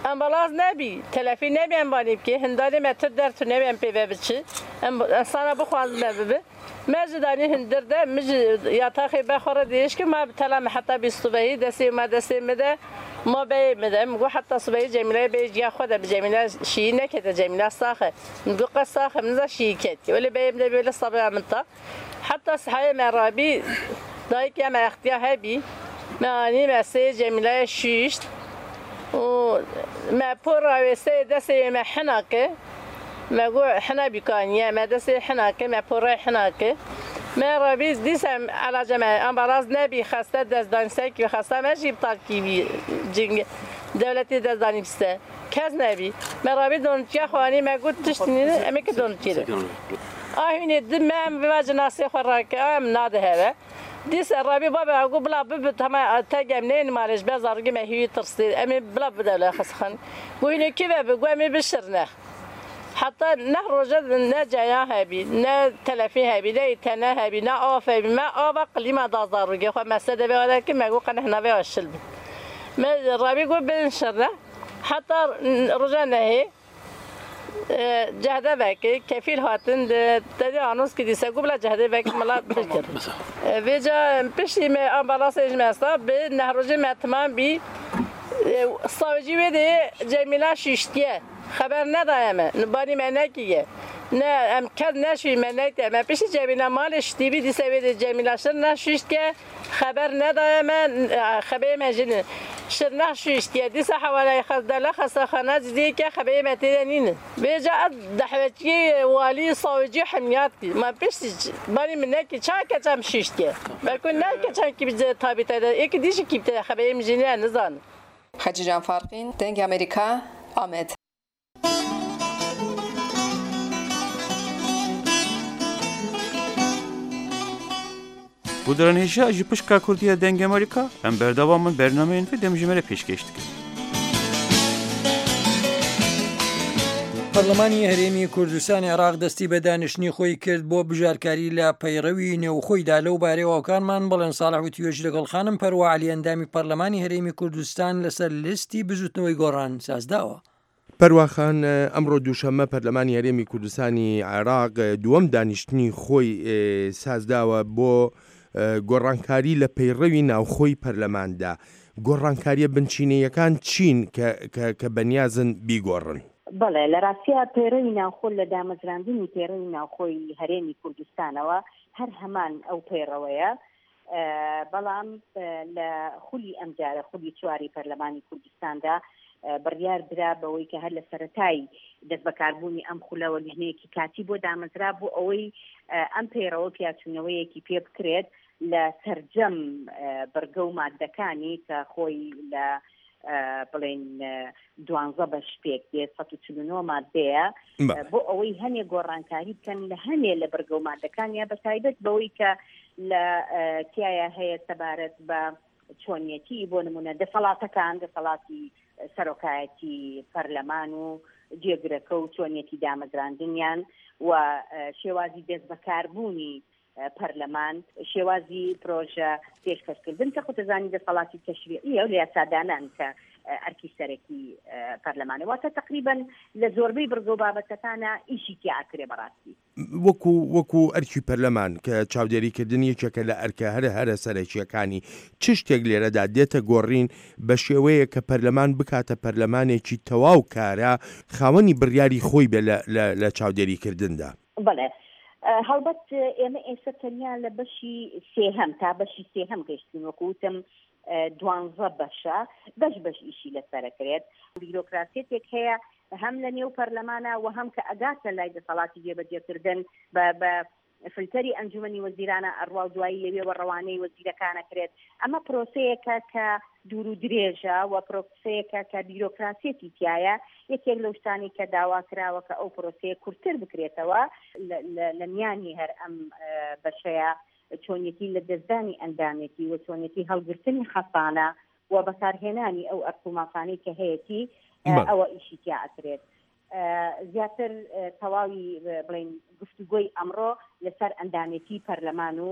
Ambulans nebî, telefî nebî em banî bikê, hindarê me tu der tu nebî em pê ve biçi. Em insana bixwazin me bibi. Me jî danî hindir de, min jî yataxê be xwe re dirêj kir, ma bi tela min heta bî sibehî destê ma destê min de, ma beyê min de. Min got heta sibehî Cemîleyê beyê ciya xwe de bi Cemîle şîyî nekete, Cemîle sax e. Min got qet sax e, min niza şîyî ketiye. Welê beyê min de bî wele sabeya min ta. Heta sihayê me rabî, dayikê me extiya hebî, me anî me seyê Cemîleyê şîşt û me pora wê seyê destê wê me hina kir. Me got hina bîkaniye, me destê hina kir, me porayê hina kir. Me rabî dîsa elaca me ambalans nebî xeste dest danî ser kî xesta me jî iptal kî bî cing dewletê dest danî ser. Kes nebî. Me rabî donitkiya xwe anî me got tişt nîne em ê ki donitkî de. A hînê di me em biva cinasê xwe rake a em nadiheve. Dîsa rabî babê xwe got bila bibi tema teg em neyên malê ji ber zarokê me hîwî tirsê em ê bila bibe dewleta xesxan. Got hînê kî vebe got em ê bişirne. Heta neh roje ne ceyan hebî ne telefîn hebî ne îtene hebî ne av hebî me ava qilîma da zarokê xwe me ser devê we de kir me got qe neh navê we şil bi. Me rabî got bin şirne. Heta roja nehê cehde vekir, kefîl hatin tedî anons kir dîsa got bila cehdê vekir mila bikir. Vêca piştî me ambalansê ji me esta bi neh rojê me timam bî sawcî wê dê Cemîla şîştiye xeber nedaye me banî me nekiye ne em kes neşûyî me neke me piştî Cemîla malê şitîbî dîsa wê dê Cemîla şir neşûştiye Xeber nedaye me, xebeyê me jî nîn. Şirnex şûştiye, dîsa hewaleyê xezdele xestexane cidî ke xebeyê me tê de nîn. Vêca ez dehwetiyê walî, sawicî hemiyat kî. Ma piştî banî min nekî ça keçam şûştiye. Belku ne keçam kî bi tabî te de, êkî dî jî kî bi te de xebeyê min jî nîne nizanim. Hecî Can Farqîn, Dengê Amerîka, Amed. Guhdaran hêja ji pişka Kurdî ya Dengê Amerîka em berdewam in bernameyên vê demjimêrê pêşkêş dikin. پەرلەمانی هەرێمی کوردستانی عێراق دەستی بە دانیشتنی خۆی کرد بۆ بژارکاری لە پەیڕەوی نێوخۆیدا لەو بارەیەوە هاوکارمان بەڵێن ساڵح وتوێژی لەگەڵ خانم پەروا عەلی ئەندامی پەرلەمانی هەرێمی کوردستان لەسەر لیستی بزوتنەوەی گۆڕان سازداوە. پەروا خان، ئەمڕۆ دووشەممە پەرلەمانی هەرێمی کوردستانی عێراق دووەم دانیشتنی خۆی سازداوە بۆ گۆڕانکاری لە پەیڕەوی ناوخۆی پەرلەماندا، گۆڕانکارییە بنچینەییەکان چین کە بەنیازن بیگۆڕن؟ بەڵێ، لە ڕاستیا پەیڕەوی ناوخۆ لە دامەزراندنی پەیڕەوی ناوخۆی هەرێمی کوردستانەوە هەر هەمان ئەو پەیڕەوەیە، بەڵام لە خولی ئەمجارە خولی چواری پەرلەمانی کوردستاندا بڕیار درا بەوەی کە هەر لە سەتای دەستبەکاربوونی ئەم خولەوە لیژنەیەکی کاتی بۆ دامەزرا بۆ ئەوەی ئەم پەیڕەوە پیاچوونەوەیەکی پێ بکرێت لە سەرجەم بڕگە و مادەکانی کە خۆی لە بڵێن دوانزە بەش پێک دێت 149 مادەیە بۆ ئەوەی هەنێ گۆڕانکاری بکەن لە هەنێ لە بڕگە و مادەکانیا بە تایبەت بەوەی کە لە تایە هەیە سەبارەت بە چۆنیەتی بۆ نمونە دەسەڵاتەکان دەسەڵاتی سەرۆکایەتی پەرلەمان و جێگرەکە و چۆنیەتی دامەزراندنیان و شێوازی دەست بەکاربوونی پەرلەمان، شێوازی پرۆژە پێشکەشکردن کە خۆتەزانی دەسەڵاتی تەشریعیە و لە یاسادانان کە ئەرکی سەرەکی پەرلەمانە واتە تەقریبەن لە زۆربەی بڕگە و بابەتەکانا ئیشی تیا ئەکرێ بەڕاستی. وەکو وەکو ئەرکی پەرلەمان کە چاودێریکردن یەکێکە لە ئەرکە هەرە هەرە سەرەکییەکانی، چ شتێک لێرەدا دێتە گۆڕین بە شێوەیەک کە پەرلەمان بکاتە پەرلەمانێکی تەواو کارا، خاوەنی بڕیاری خۆی بێ لە لە لە چاودێریکردندا؟ بەڵێ هەڵبەت ئێمە ئێستا تەنیا لە بەشی سێهەم تا بەشی سێهەم گەشتین وەکو وتم دوانزە بەشە بەش بەش ئیشی لەسەرەکرێت بیرۆکراسیەتێک هەیە هەم لە نێو پەرلەمانە و هەم کە ئەگاتە لای دەسەڵاتی جێبەجێکردن بە بە فلتەری ئەنجومەنی وەزیرانە ئەڕوا و دوایی لەوێوە ڕەوانەی وەزیرەکان ئەکرێت. ئەمە پرۆسەیەکە کە دوور و درێژە و پرۆسەیەکە کە بیرۆکراسیەتی تیایە. یەکێک لەو شتانەی کە داوا کراوە کە ئەو پرۆسەیە کورتتر بکرێتەوە لە میانی هەر ئەم بەشەیە چۆنیەتی لەدەستدانی ئەندامێتی و چۆنیەتی هەڵگرتنی حەسانە و بەکارهێنانی ئەو ئەرک و مافانەی کە هەیەتی ئەوە ئیشی تیا ئەکرێت. زیاتر تەواوی بڵێین گفتوگۆی ئەمڕۆ لەسەر ئەندامێتی پەرلەمان و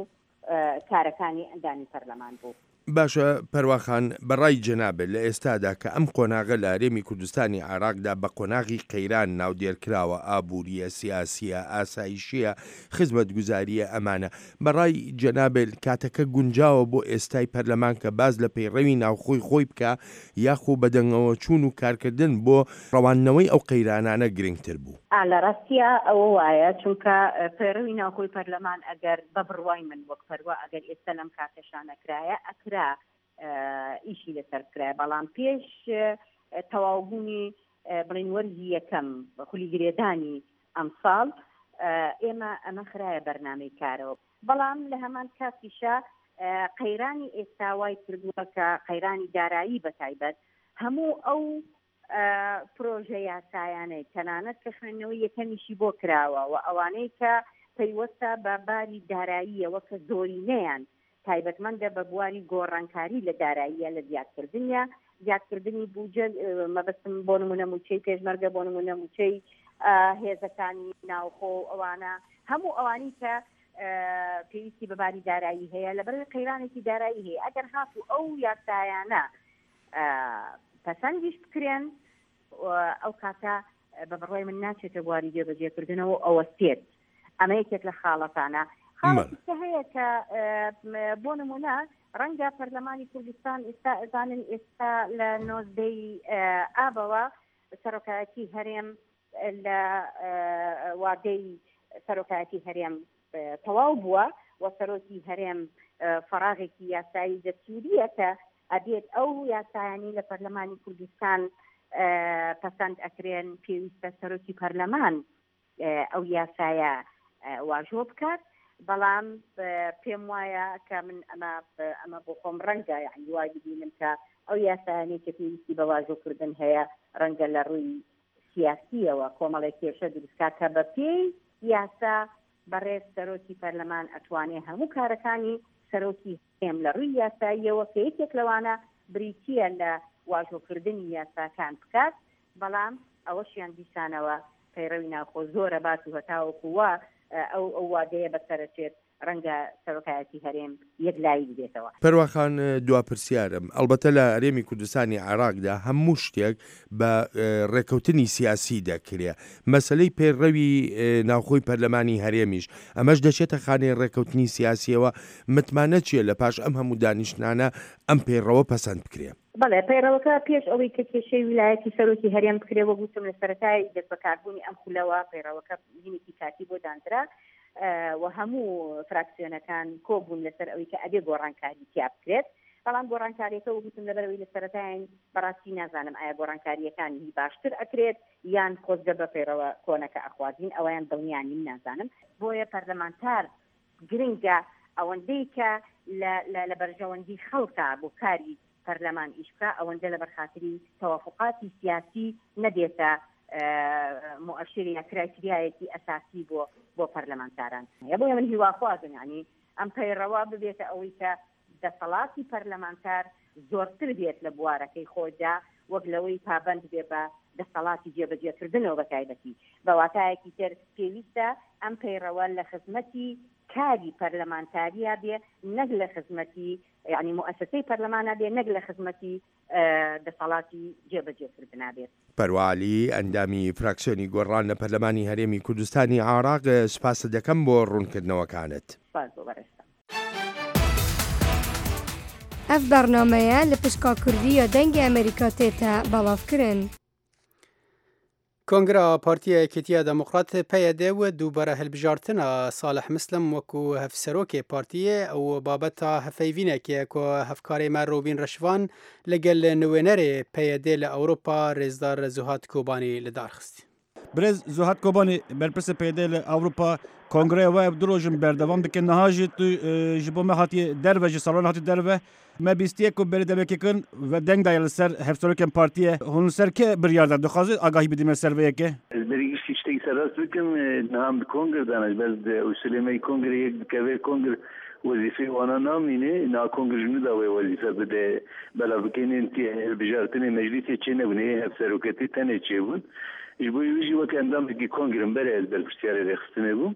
کارەکانی ئەندامی پەرلەمان بوو. باشە پەروا خان بە ڕای جەنابت لە ئێستادا کە ئەم قۆناغە لە هەرێمی کوردستانی عێراقدا بە قۆناغی قەیران ناودێر کراوە ئابوورییە، سیاسییە، ئاسایشییە، خزمەتگوزارییە ئەمانە بە ڕای جەنابت کاتەکە گونجاوە بۆ ئێستای پەرلەمان کە باس لە پەیڕەوی ناوخۆی خۆی بکا یاخو بەدەنگەوەچوون و کارکردن بۆ ڕەواندنەوەی ئەو قەیرانانە گرنگتر بوو؟ ئا لە ڕاستیا ئەوە وایە، چونکە پەیڕەوی ناوخۆی پەرلەمان ئەگەر بە بڕوای من وەک پەروا ئەگەر ئێستا لەم کاتەشا نەکرایە ئەکرا ئیشی لەسەر بکرایە، بەڵام پێش تەواوبوونی بڵێین وەرزی یەکەم خولی گرێدانی ئەمساڵ ئێمە ئەمە خرایە بەرنامەی کارەوە. بەڵام لە هەمان کاتیشا قەیرانی ئێستا وای کردووە کە قەیرانی دارایی بە تایبەت هەموو ئەو پرۆژە یاسایانەی تەنانەت کە خوێندنەوەی یەکەمیشی بۆ کراوە و ئەوانەی کە پەیوەستە بە باری داراییەوە کە زۆرینەیان تایبەتمەندە بە بواری گۆڕانکاری لە داراییە لە زیادکردنیە زیادکردنی بوجە مەبەستم بۆ نمونە موچەی پێشمەرگە بۆ نمونە موچەی هێزەکانی ناوخۆ و ئەوانە هەموو ئەوانی کە پێویستی بە باری دارایی هەیە لەبەرەوەی قەیرانێکی دارایی هەیە ئەگەر هاتوو ئەو یاسایانە پەسەندیش بکرێن ئەو کاتە بە بڕوای من ناچێتە بواری جێبەجێکردنەوە ئەوەستێت ئەمە یەکێک لە خاڵەکانە خاڵێکی هەیە کە بۆ نمونە ڕەنگە پەرلەمانی کوردستان ئێستا ئەزانن ئێستا لە نۆزدەی ئابەوە سەرۆکایەتی هەرێم لە وادەی سەرۆکایەتی هەرێم تەواو بووە و سەرۆکی هەرێم فەراغێکی یاسایی دەستوریە کە ئەبێت ئەو یاسایانی لە پەرلەمانی کوردستان پەسەند ئەکرێن پێویستە سەرۆکی پەرلەمان ئەو یاسایە واژۆ بکات بەڵام پێم وایە کە من ئەمە ئەمە بۆ خۆم ڕەنگە یعنی وای ببینم کە ئەو یاسایانەی کە پێویستی بە واژۆکردن هەیە ڕەنگە لە ڕووی سیاسیەوە کۆمەڵێک کێشە دروستکا کە بە پێی یاسا بەڕێز سەرۆکی پەرلەمان ئەتوانێ هەموو کارەکانی سەرۆکی هەرێم لە ڕووی یاساییەوە کە یەکێک لەوانە بریتییە لە واژۆکردنی یاساکان بکات بەڵام ئەوەشیان دیسانەوە پەیڕەوی ناوخۆ زۆرە بات و هەتاوەکو وا ئەو ئەو وادەیە بەسەرەچێت ڕەنگە سەرۆکایەتی هەرێم یەکلایی ببێتەوە. پەروا خان دوا پرسیارم، ئەڵبەتە لە هەرێمی کوردستانی عێراقدا هەموو شتێک بە ڕێکەوتنی سیاسی دەکرێ، مەسەلەی پەیڕەوی ناوخۆی پەرلەمانی هەرێمیش ئەمەش دەچێتە خانەی ڕێکەوتنی سیاسیەوە، متمانە چیە لە پاش ئەم هەموو دانیشتنانە ئەم پەیڕەوە پەسەند بکرێ؟ بەڵێ، پەیڕەوەکە پێش ئەوەی کە کێشەی ویلایەتی سەرۆکی هەرێم بکرێ، وەک وتم لە سەرەتای دەستبەکاربوونی ئەم خولەوە پەیڕەوەکە هینێکی کاتی بۆ داندرا و هەموو فراکسیۆنەکان کۆبوون لەسەر ئەوەی کە ئەبێ گۆڕانکاری تیا بکرێت، بەڵام گۆڕانکاریەکە وەک وتم لەبەرئەوەی لە سەرەتاین بەڕاستی نازانم ئایا گۆڕانکارییەکان هی باشتر ئەکرێت یان خۆزگە بە پەیڕەوە کۆنەکە ئەخوازین ئەوەیان دڵنیا نیم نازانم. بۆیە پەرلەمانتار گرنگە ئەوەندەی کە لە لە بەرژەوەندی خەڵکە بۆ کاری پەرلەمان ئیش بکا ئەوەندە لەبەر خاتری تەوافوقاتی سیاسی نەبێتە موئەشیر یا کرایتریایەکی ئەساسی بۆ بۆ پەرلەمانتاران. بۆیە من هیواخوازم یانی ئەم پەیڕەوە ببێتە ئەوەی کە دەسەڵاتی پەرلەمانتار زۆرتر بێت لە بوارەکەی خۆیدا وەک لەوەی پابەند بێ بە دەسەڵاتی جێبەجێکردنەوە بە تایبەتی. بە واتایەکی تر پێویستە ئەم پەیڕەوە لە خزمەتی کاری پەرلەمانتاریا بێ نەک لە خزمەتی یانی موئەسەسەی پەرلەمانا بێ نەک لە خزمەتی دەسەڵاتی جێبەجێکردنا بێت. پەروا عەلی، ئەندامی فراکسیۆنی گۆڕان لە پەرلەمانی هەرێمی کوردستانی عێراق، سوپاست دەکەم بۆ ڕوونکردنەوەکانت. سوپاس بۆ بەڕێزتان. Ev bernameye li pişka Kurdî ya Dengê Amerîka tête belavkirin. Kongra Partiya Yekîtiya Demokrat, PYD, û dubare hilbijartina Salih Mislim wekû hevserokê partiyê û babeta hevpeyvînekê ye ku hevkarê me Robîn Reşvan li gel niwênerê PYD li Ewropa Rêzdar Zuhat Kobanî li dar xist. Birêz Zuhat Kobanî berpirsê PYD li Ewropa kongreya we ev du roj in berdewam dike niha jî tu ji bo me hatiye derve ji salonê hatî derve Me bîstiye ku berê demekê kin ve deng daye li ser hevserokên partiyê. Hûn li ser kê biryar dan? Dixwazî agahî bidî me ser vê yekê? Ez berî giştî tiştekî serrast bikim, niha em di kongir de ne. Ji ber di usulê me yê kongrê yek dikeve kongir wezîfeyê wana namîne. Niha kongir ji nû de wê wezîfe bide belav bike. Hîn hilbijartinê meclîsê çênebûne, yê hevseroketî tenê çêbûn. Ji bo wî jî wek endamekî kongir im berê ez berpirsyarê rêxistinê bûm.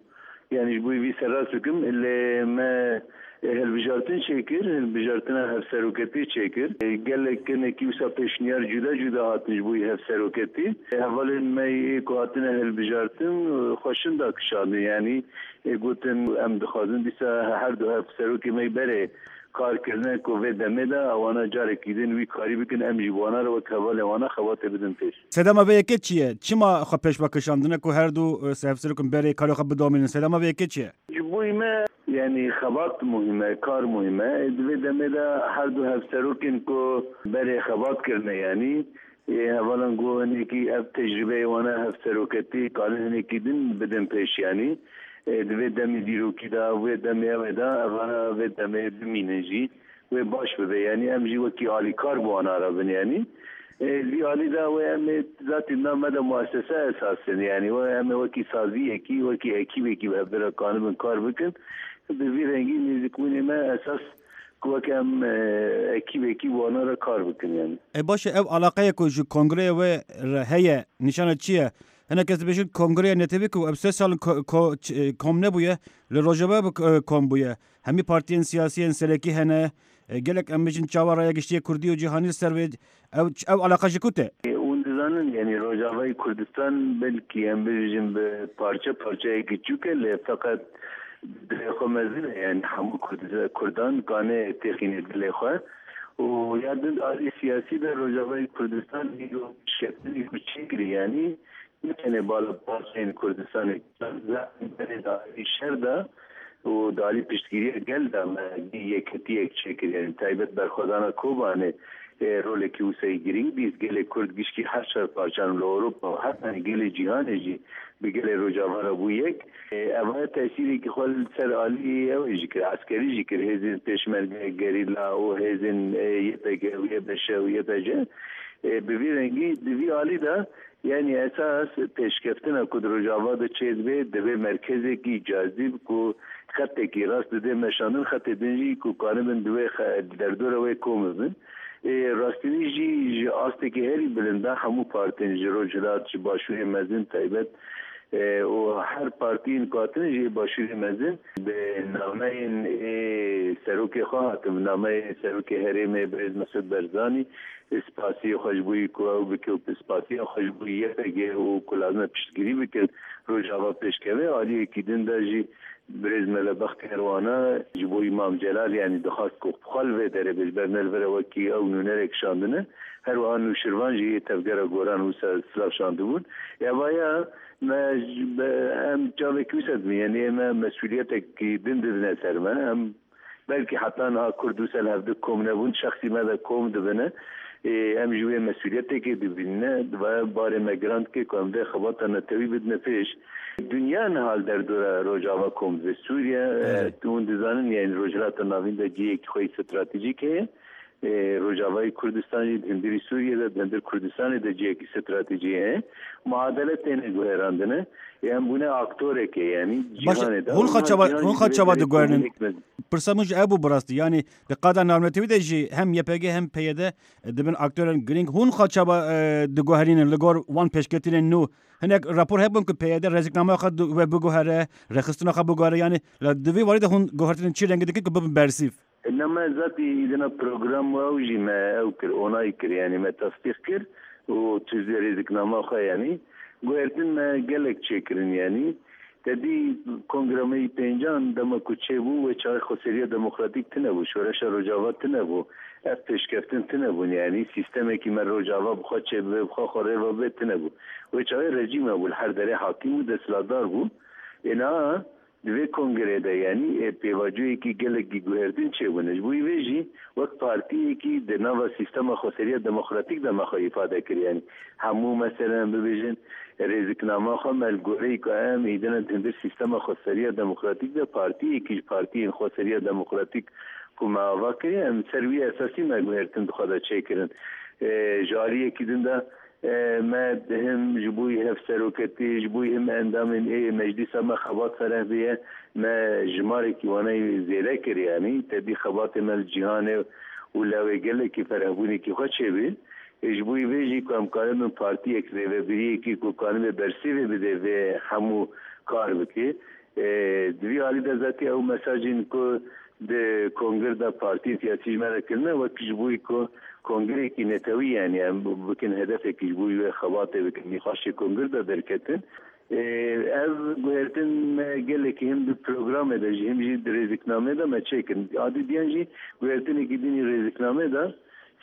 Yanî ji bo vî serrast bikim lê me hilbijartin çêkir, hilbijartina hevseroketî çêkir. Gelek kinekî wisa pêşniyar cuda cuda hatin ji bo hevseroketî. Hevalên me yê ku hatine hilbijartin xwe şinda kişandin. Yanî gotin em dixwazin dîsa her du hevserokê me yê berê kar kirine ku vê demê de ewana carekî din wî karî bikin em jî bi wana re wek hevalên wana xebatê bidin pêş. Sedema vê yekê çi ye? Çima xwe pêşve kişandine ku her du hevserokên berê karê xwe bidomînin? Sedema vê yekê çi ye? Ji bo me yanî xebat muhîm e, kar muhîm e. Di vê demê de her du hevserokên ku berê xebat kirine yanî hevalan got hinekî ev tecrûbeyê wan e hevseroketî karin hinekî din bidin pêş yanî di vê demê dîrokî de wê demê ew ê de evana vê demê bimînin jî. Wê baş bibe yanî em jî wekî alîkar bi wan re bin yanî li vî alî de wê em ê zatî di nav me de muesese esas in yanî wê em ê wekî saziyekî wekî ekîbekî bi hevdu re kanibin kar bikin bi vî rengî nêzîkbûnê me esas ku weke em ekîbekî bi wan re kar bikin yanî. Ê baş e ev alaqeyê ku ji kongreyê wê re heye nîşana çi ye? Hinek kes dibêjin kongreya netewî ku ev sê sal in kom nebûye li Rojava kom bûye. Hemî partiyên siyasî yên serekî hene. Gelek em bijin çawa raya giştiyê Kurdî û cîhanî li ser wê ew ew eleqe ji ku tê? Hûn dizanin yanî Rojavayê Kurdistan belkî em bibêjin bi parçe parçeyekî çûk e lê feqet dilê xwe mezin e yanî hemû Kurdan kane têxîne dilê xwe û ya din di aliyê siyasî de Rojavayê Kurdistan îro pêşkeftinê ku çêkirî yanî ne tenê bala parçeyên Kurdistanê Zaten berê di alî şer de û di alî piştgiriya gel de me yekitiyek çêkir. Yanî taybet berxwedana Kobanê rolekî wisa yê girîng dît. Gelê Kurd gişkî her çar parçan li Ewropa û heta gelê cîhanê jî bi gelê Rojava re bû yek. Ev tesîrekî xwe li ser alî ew jî kir, eskerî jî kir. Hêzên pêşmerge, gerîla û hêzên YPG û YBŞ û YPJ bi vî rengî di vî alî de Yanî esas pêşkeftina ku di Rojava de çêdibe divê merkezekî cazîb ku xetekî rast dide meşandin xetê din jî ku karibin di wê derdora wê kom bibin. Ê rastînî jî ji astekî herî bilind de hemû partiyên ji Rojhilat ji Başûrê Mezin taybet û her partiyên ku hatine ji ê Başûrê Mezin bi nameyên ê serokê xwe hatin bi nameyê serokê herêmê birêz Mesûd Berzanî Spasiyê xwe ji bo ku ew bike û spasiya xwe ji bo YPG û ku lazim e piştgirî bikin Rojava pêşkeve. Aliyekî din de jî birêz Mele Bextiyar wana ji bo Îmam Celal yanî dixwast ku xwe li vê derê be ji ber ne li vir e wekî ew nûnerek şandine. Her wiha Nûşirvan jî yê Tevgera Goran wisa silav şandibûn. Evaya me em çavekî wisa dibînin yanî ême mesûliyetekî din didine ser me. Em Belkî heta niha Kurd wisa li hevdu kom nebûn, şexsî me de kom dibine. Em jî wê mesûliyetekê dibînine. Divaye barê me giran dike ku em vê xebata netewî bidine pêş. Dinya niha li derdora Rojava kom dibe. Sûriye, tu hûn dizanin yanî Rojhilata Navîn de cihekî xwe yê stratejîk heye. Rojavayê Kurdistan jî di hundirî Sûriyê de, di hundir Kurdistanê de cihekî stratejî heye. Muadele têne guherandine. Ê em bûne aktorekê yanî Baş e, cîhanê de hûn û xwe niha çawa cîhan hûn jî xwe di vê çawa derê diguherînin? komînîk mezin. Pirsa min ji ev bû bi rastî. Yanî di qada navnetewî de jî hem YPG hem PYD dibin aktorên girîng. Hûn xwe çawa diguherînin li gor wan pêşketinên nû? Hinek rapor hebûn ku PYD rêziknameya xwe wê biguhere, rêxistina xwe biguhere yanî li di vî warî de hûn guhertinên çi rengî dikin ku bibin bersîv? Na me zatî îdina program û ew jî me ew kir, onay kir yanî me tesdîq kir û tuzê rêziknama xwe yanî guhertin me gelek çêkirin yanî te dî kongra me yî pêncan dema ku çêbû wê çaxê xweseriya demokratîk tune bû, şoreşa Rojava tune bû, ev pêşkeftin tune bûn yanî sîstemekî me Rojava bi xwe çêbibe bi xwe xwe rêva bibe tune bû. Wê çaxê rejîm hebû li her derê hakîm û desthilatdar bû. Ê niha Di vê kongreyê de yanî pêvajoyekî gelekî guhertin çêbûne. Ji bo vê jî wek partiyekî di nava sîstema xweseriya demokratîk de me xwe îfade kir. Yanî hemû meselen em bibêjin rêziknama xwe me li goreyî ku em îdine di hundir sîstema xweseriya demokratîk de partiyekî ji partiyên xweseriya demokratîk ku me ava kiriye em li ser wî esasî me guhertin di xwe de çêkirin. Ji aliyekî din de Me him ji bo hevseroketî, ji bo him endamên ê meclîsa me xebat fereh bûye, me jimarekî wan ê zêde kir yanî tevî xebatê me li cîhanê û lawê gelekî ferehbûnekî xwe çêbû. Ê ji bo vê jî ku em karibin partiyek rêvebiriyekî ku kanibe bersîvê bide vê hemû kar bike. Di vî alî de zatî ew mesajên ku di kongir de partiyên siyasî ji me re kirine wek ji bo ku kongirekî netewî yanî em bikin hedefekî ji bo wê xebatê bikin nîqaşê kongir de derketin. Ev guhertin me gelekî him di programê de jî him jî di rêziknameyê de me çêkirin. Adî diyan jî guhertinekî din î rêziknameyê de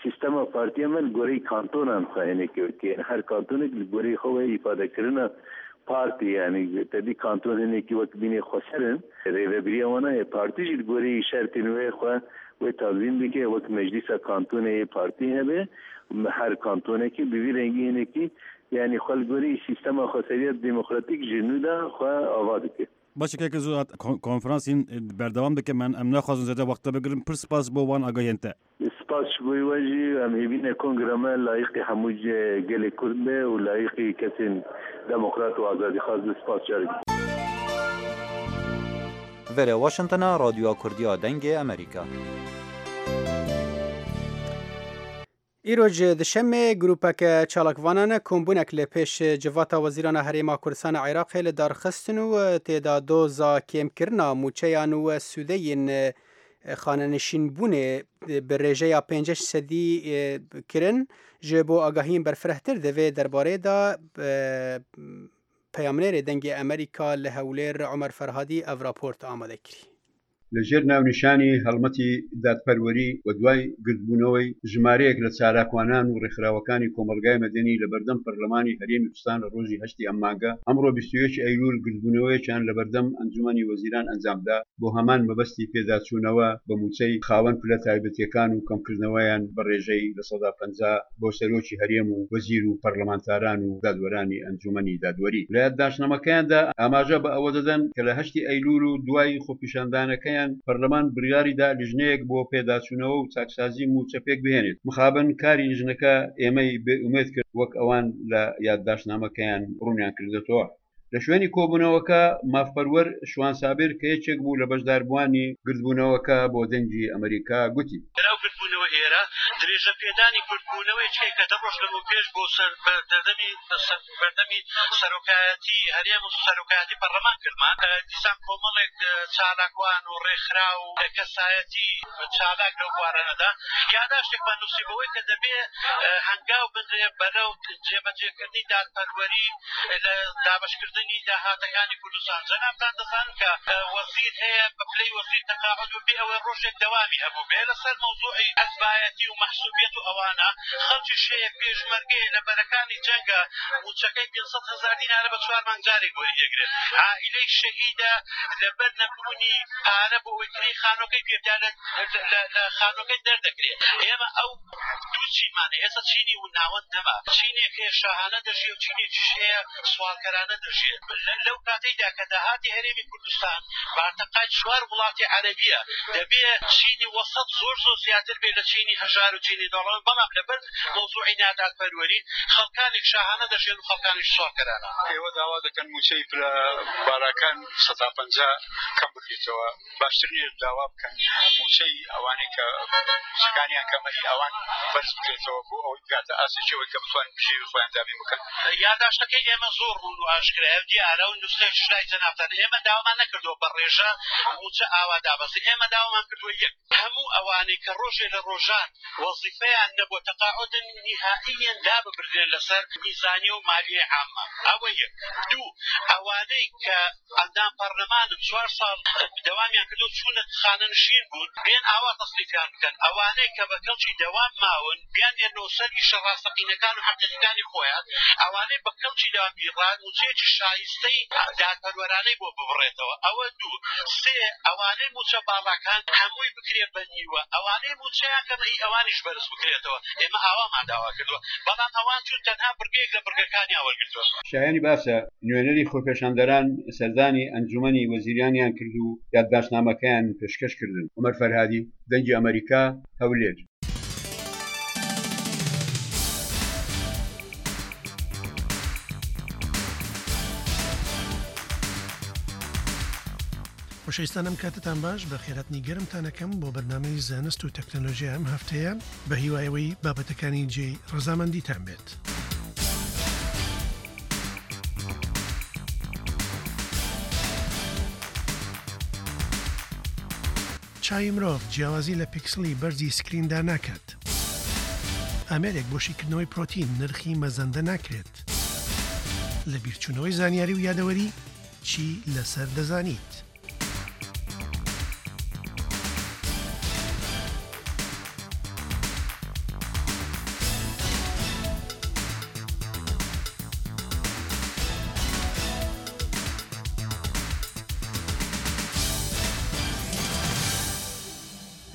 Sîstema partiya me li goreyî kantonan xwe hinekî wekî yani her kantonek li goreyî xwe wê îfadekirina partî yanî tevî kanton hinekî wek bînê xweser in rêvebiriya wan heye partî jî li goreyî şertên wê xwe wê tazîm dike wek meclîsa kantonê yê partî hebe her kantonekî bi vî rengî hinekî yanî xwe li goreyî sîstema xweseriya demokratîk ji nû de xwe ava dike. Baş e keke Zuhat, konferans hîn berdewam dike men em naxwazin zêde wexte bigirin pir spas bo wan agahiyên te. Spas ji bo we jî em hêvî ne kongra me layiqî hemû gelê Kurd be û layiqî kesên demokrat û azadîxwaz be spas carek din. Vere Washington a Radyoya Kurdî ya Dengê Amerîka. Îro ji Duşemê grûpeke çalakvanan kombûnek li pêş Civata Wezîran a Herêma Kurdistana Iraqê li dar xistin û tê de doza kêmkirina mûçeyan û sûdeyên xanenişînbûnê bi rêjeya 5 sedî kirin. Ji bo agahiyên berfirehtir di vê derbarê de peyamnêrê Dengê Amerîka li Hewlêr Omer Ferhadî ev raport amade kirî. لە ژێر ناونیشانی هەڵمەتی دادپەروەری و دوای گردبوونەوەی ژمارەیەک لە چالاکوانان و ڕێکخراوەکانی کۆمەڵگای مەدەنی لە بەردەم پەرلەمانی هەرێمی کوردستان لە ڕۆژی هەشتی ئەم مانگە، ئەمڕۆ 21 ئەیلول گردبوونەوەیەکیان لە بەردەم ئەنجومەنی وەزیران ئەنجامدا بۆ هەمان مەبەستی پێداچوونەوە بە مووچەی خاوەن پلە تایبەتیەکان و کەمکردنەوەیان بە ڕێژەی 50% بۆ سەرۆکی هەرێم و وەزیر و پەرلەمانتاران و دادوەرانی ئەنجومەنی دادوەری. لە یادداشتنامەکەیاندا ئاماژە بە ئەوە دەدەن کە لە هەشتی ئەیلول و دوای خۆپیشاندانەکەیان پەرلەمان بڕیاریدا لیژنەیەک بۆ پێداچوونەوە و چاکسازی مووچە پێکبهێنێت، مخابن کاری لیژنەکە ئێمەی بێ ئومێد کرد وەک ئەوان لە یادداشتنامەکەیان ڕوونیان کردۆتەوە. لە شوێنی کۆبوونەوەکە مافپەروەر شوان سابیر کە یەکێک بوو لە بەشداربووانی گردبوونەوەکە بۆ دەنگی ئەمەریکا گوتی. ئەو گردبوونەوە ئێرە درێژە پێدانی گردبوونەوەیەکە کە دە ڕۆژ لەمەوپێش بۆ سەر بەردەمی بەردەمی سەرۆکایەتی هەرێم و سەرۆکایەتی پەرلەمان کردمان دیسان کۆمەڵێک چالاکوان و ڕێکخراو و کەسایەتی چالاک لەو بوارانەدا یاداشتێکمان نووسی بەوەی کە دەبێ هەنگاو بنرێ بەرەو جێبەجێکردنی دادپەروەری لە دابەشکردنی داهاتەکانی کوردستان. جەنابتان دەزانن کە وەزیر هەیە بە پلەی وەزیر تەقاعود بوو بێ ئەوەی ڕۆژێک دەوامی هەبووبێ لەسەر مەوزوعی حزبایەتی و مەحسوبیەت و ئەوانە، خەڵکیش هەیە پێشمەرگەیە لە بەرەکانی جەنگە مووچەکەی 500 هەزار دینارە بە چوار مانگ جارێک وەری دەگرێت، عائیلەی شەهیدە لەبەر نەبوونی پارە بۆ ئەوەی کرێی خانووەکەی پێ بدات لە خانووەکەی دەردەکرێت. ئێمە ئەو دوو چینمان هەیە، ئێستا چینی ناوەند نەما، چینێک هەیە شاهانە دەژی و چینێکیش هەیە سواڵکەرانە دەژیێ. دەژێ لەو کاتەیدا کە داهاتی هەرێمی کوردستان بارتەقای چوار وڵاتی عەرەبیە دەبێ چینی وەسەت زۆر زۆر زیاتر بێ لە چینی هەژار و چینی دەوڵەمەند بەڵام لەبەر مەوزوعی نادادپەروەری خەڵکانێک شاهانە دەژێن و خەڵکانیش سواڵکەرانە. ئێوە داوا دەکەن مووچەی پلە بالاکان سەتا 50 کەم بکرێتەوە، باشتر نییە داوا بکەن مووچەی ئەوانەی کە مووچەکانیان کەمە هی ئەوان بەرز بکرێتەوە بۆ ئەوەی بگاتە ئاستێکی ئەوەی کە بتوانن بژێوی خۆیان دابین بکەن؟ یاداشتەکەی ئێمە زۆر ڕوون و ئاشکرایە و دیارە و نوسخەیەکیش لای جەنابتانە، ئێمە داوامان نەکردووە بە ڕێژە مووچە ئاوا دابەزێ، ئێمە داوامان کردووە یەک، هەموو ئەوانەی کە ڕۆژێ لە ڕۆژان وەزیفەیان نەبووە تەقاعودن نیهائیەن لاببردرێن لەسەر میزانیە و مالیەی عامە ئەوە یەک. دوو، ئەوانەی کە ئەندام پەڕلەمانن چوار ساڵ دەوامیان کردووە چوونە خانەنشین بوون بێن ئاوا تەسریفیان بکەن، ئەوانەی کە بە کەڵکی دەوام ماون بیاننێرنەوە سەر ئیشە ڕاستەقینەکان و حەقیقیەکانی خۆیان، ئەوانەی بە کەڵکی دەوام بیڕان مووچەیەکی شایستەی دادپەروەرانەی بۆ ببڕێتەوە ئەوە دوو. سێ، ئەوانەی مووچە باڵاکان هەمووی بکرێ بە نیوە، ئەوانەی مووچەیان کەمە ئی ئەوانیش بەرز بکرێتەوە، ئێمە ئاوامان داوا کردووە، بەڵام ئەوان چوون تەنها بڕگەیەک لە بڕگەکانیان وەرگرتووە. شایانی باسە، نوێنەری خۆپێشاندەران سەردانی ئەنجومەنی وەزیرانیان کرد و یادداشتنامەکەیان پێشکەش کردن. عومەر فەرهادی، دەنگی ئەمەریکا، هەولێر. خۆشەویستان ئەم کاتتان باش بە خێراتنی گەرمتان ئەکەم بۆ بەرنامەی زانست و تەکنەلۆژیا ئەم هەفتەیە بە هیوای ئەوەی بابەتەکانی جێی ڕەزامەندیتان بێت. چاوی مرۆڤ جیاوازی لە پیکسڵی بەرزی سکریندا ناکات. ئامێرێک بۆ شیکردنەوەی پرۆتین نرخی مەزەندە ناکرێت. لەبیرچوونەوەی زانیاری و یادەوەری چی لەسەر دەزانیت؟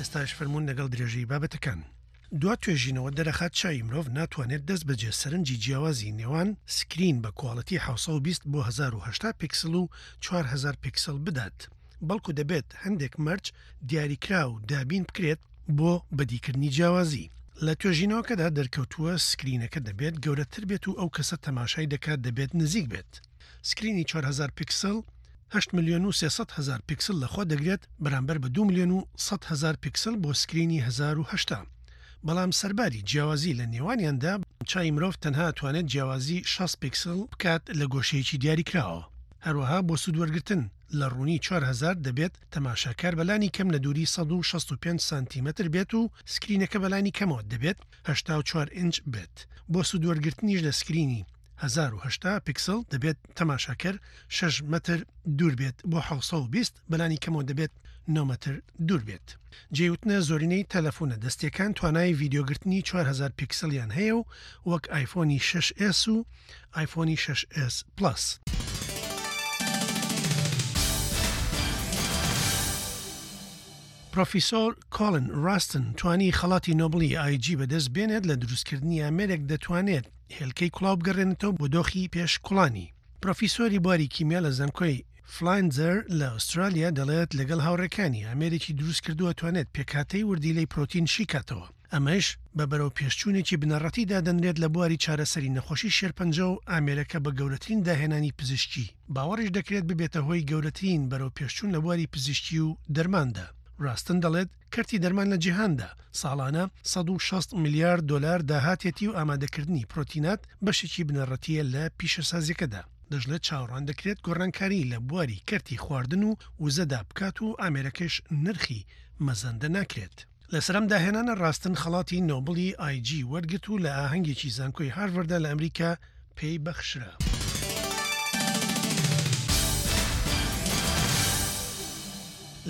ئێستاش فەرموون لەگەڵ درێژەی بابەتەکان. دوا توێژینەوە دەرەخات چاوی مرۆڤ ناتوانێت دەستبەجێ سەرنجی جیاوازی نێوان سکرین بە کواڵێتی 720 بۆ 1080 پیکسڵ و 4000 پیکسڵ بدات، بەڵکو دەبێت هەندێک مەرج دیاریکراو دابین بکرێت بۆ بەدیکردنی جیاوازی. لە توێژینەوەکەدا دەرکەوتووە سکرینەکە دەبێت گەورەتر بێت و ئەو کەسە تەماشای دەکات دەبێت نزیک بێت. سکرینی 4000 پیکسڵ هەشت ملیۆن و 300 هەزار پیکسل لەخۆ دەگرێت بەرامبەر بە دوو ملیۆن و 100 هەزار پیکسل بۆ سکرینی 1080. بەڵام سەرباری جیاوازی لە نێوانیاندا، چاوی مرۆڤ تەنها ئەتوانێت جیاوازی 60 پیکسل بکات لە گۆشەیەکی دیاریکراوەوە. هەروەها بۆ سوودوەرگرتن لە ڕوونی 4000 دەبێت تەماشاکار بەلانی کەم لە دووری 165 سانتیمەتر بێت و سکرینەکە بەلانی کەمەوە دەبێت 84 ئینچ بێت. بۆ سوودوەرگرتنیش لە سکرینی 1080 پیکسڵ دەبێت تەماشاکەر شەش مەتر دوور بێت بۆ 720 بەلانی کەمەوە دەبێت نۆ مەتر دوور بێت. جێی وتنە زۆرینەی تەلەفونە دەستیەکان توانای ڤیدیۆگرتنی 4000 پیکسڵیان هەیە و وەک ئایفۆنی شەش ئێس و ئایفۆنی شەش ئێس پڵەس. پرۆفیسۆر کۆڵن ڕاستن توانی خەڵاتی نۆبڵی ئای جی بەدەست بێنێت لە دروستکردنی ئامێرێک دەتوانێت هێلکەی کوڵاو بگەڕێنێتەوە بۆ دۆخی پێش کوڵانی. پرۆفیسۆری بواری کیمیا لە زانکۆی فلاندزەر لە ئوسترالیا دەڵێت لەگەڵ هاوڕێکانی ئامێرێکی دروستکردووە توانێت پێکهاتەی وردیلەی پرۆتین شیکاتەوە، ئەمەش بە بەرەوپێشچوونێکی بنەڕەتی دادەنرێت لە بواری چارەسەری نەخۆشی شێرپەنجە و ئامێرەکە بە گەورەترین داهێنانی پزیشکی باوەڕیش دەکرێت ببێتە هۆی گەورەترین بەرەوپێشچوون لە بواری پزیشکی و دەرماندا. ڕاستن دەڵێت کەرتی دەرمان لە جیهاندا ساڵانە 160 ملیار دۆلار داهاتێتی و ئامادەکردنی پرۆتینات بەشێکی بنەڕەتییە لە پیشەسازییەکەدا. دەشڵێت چاوەڕوان دەکرێت گۆڕانکاری لە بواری کەرتی خواردن و وزەدا بکات و ئامێرەکەش نرخی مەزەندە ناکرێت. لەسەر ئەم داهێنانە ڕاستن خەڵاتی نۆبڵی ئای جی وەرگرت و لە ئاهەنگێکی زانکۆی هارڤەردا لە ئەمریکا پێی بەخشرا.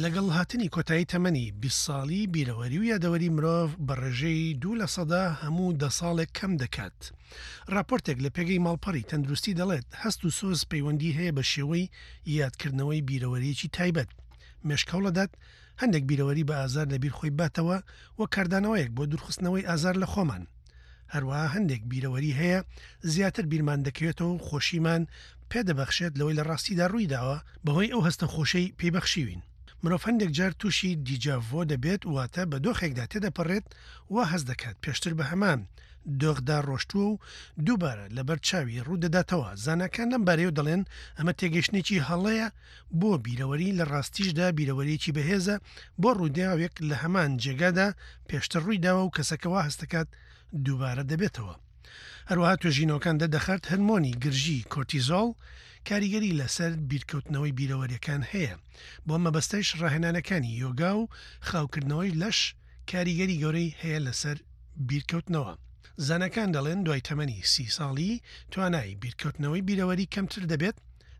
لەگەڵ هاتنی کۆتایی تەمەنی 20 ساڵی، بیرەوەری و یادەوەری مرۆڤ بە ڕێژەی دوو لە سەدا هەموو دە ساڵێک کەم دەکات. ڕاپۆرتێک لە پێگەی ماڵپەڕی تەندروستی دەڵێت، هەست و سۆز پەیوەندی هەیە بە شێوەی یادکردنەوەی بیرەوەرییەکی تایبەت. مێشک هەوڵەدات هەندێک بیرەوەری بە ئازار لە بیر خۆی باتەوە وەک کاردانەوەیەک بۆ دوورخستنەوەی ئازار لە خۆمان. هەروەها هەندێک بیرەوەری هەیە زیاتر بیرمان دەکەوێتەوە و خۆشیمان پێدەبەخشێت لەوەی لە ڕاستیدا ڕوویداوە بەهۆی ئەو هەستە خۆشەی پێی بەخشیوین. مرۆڤ هەندێک جار تووشی دیجاڤۆ دەبێت واتە بە دۆخێکدا تێدەپەڕێت وا هەست دەکات پێشتر بە هەمان دۆخدا ڕۆشتووە و دووبارە لەبەر چاوی ڕوودەداتەوە، زاناکان لەم بارەیەوە دەڵێن ئەمە تێگەیشتنێکی هەڵەیە بۆ بیرەوەری، لە ڕاستیشدا بیرەوەرییەکی بەهێزە بۆ ڕووداوێک لە هەمان جێگادا پێشتر ڕوویداوە و کەسەکە وا هەست دەکات دووبارە دەبێتەوە. هەروەها توێژینەوەکان دەردەخات هەرمۆنی گرژی کۆرتیزۆڵ کاریگەری لەسەر بیرکەوتنەوەی بیرەوەرییەکان هەیە، بۆ ئەم مەبەستەش ڕاهێنانەکانی یۆگا و خاوکردنەوەی لەش کاریگەری گەورەی هەیە لەسەر بیرکەوتنەوە. زاناکان دەڵێن دوای تەمەنی سی ساڵی توانای بیرکەوتنەوەی بیرەوەری کەمتر دەبێت،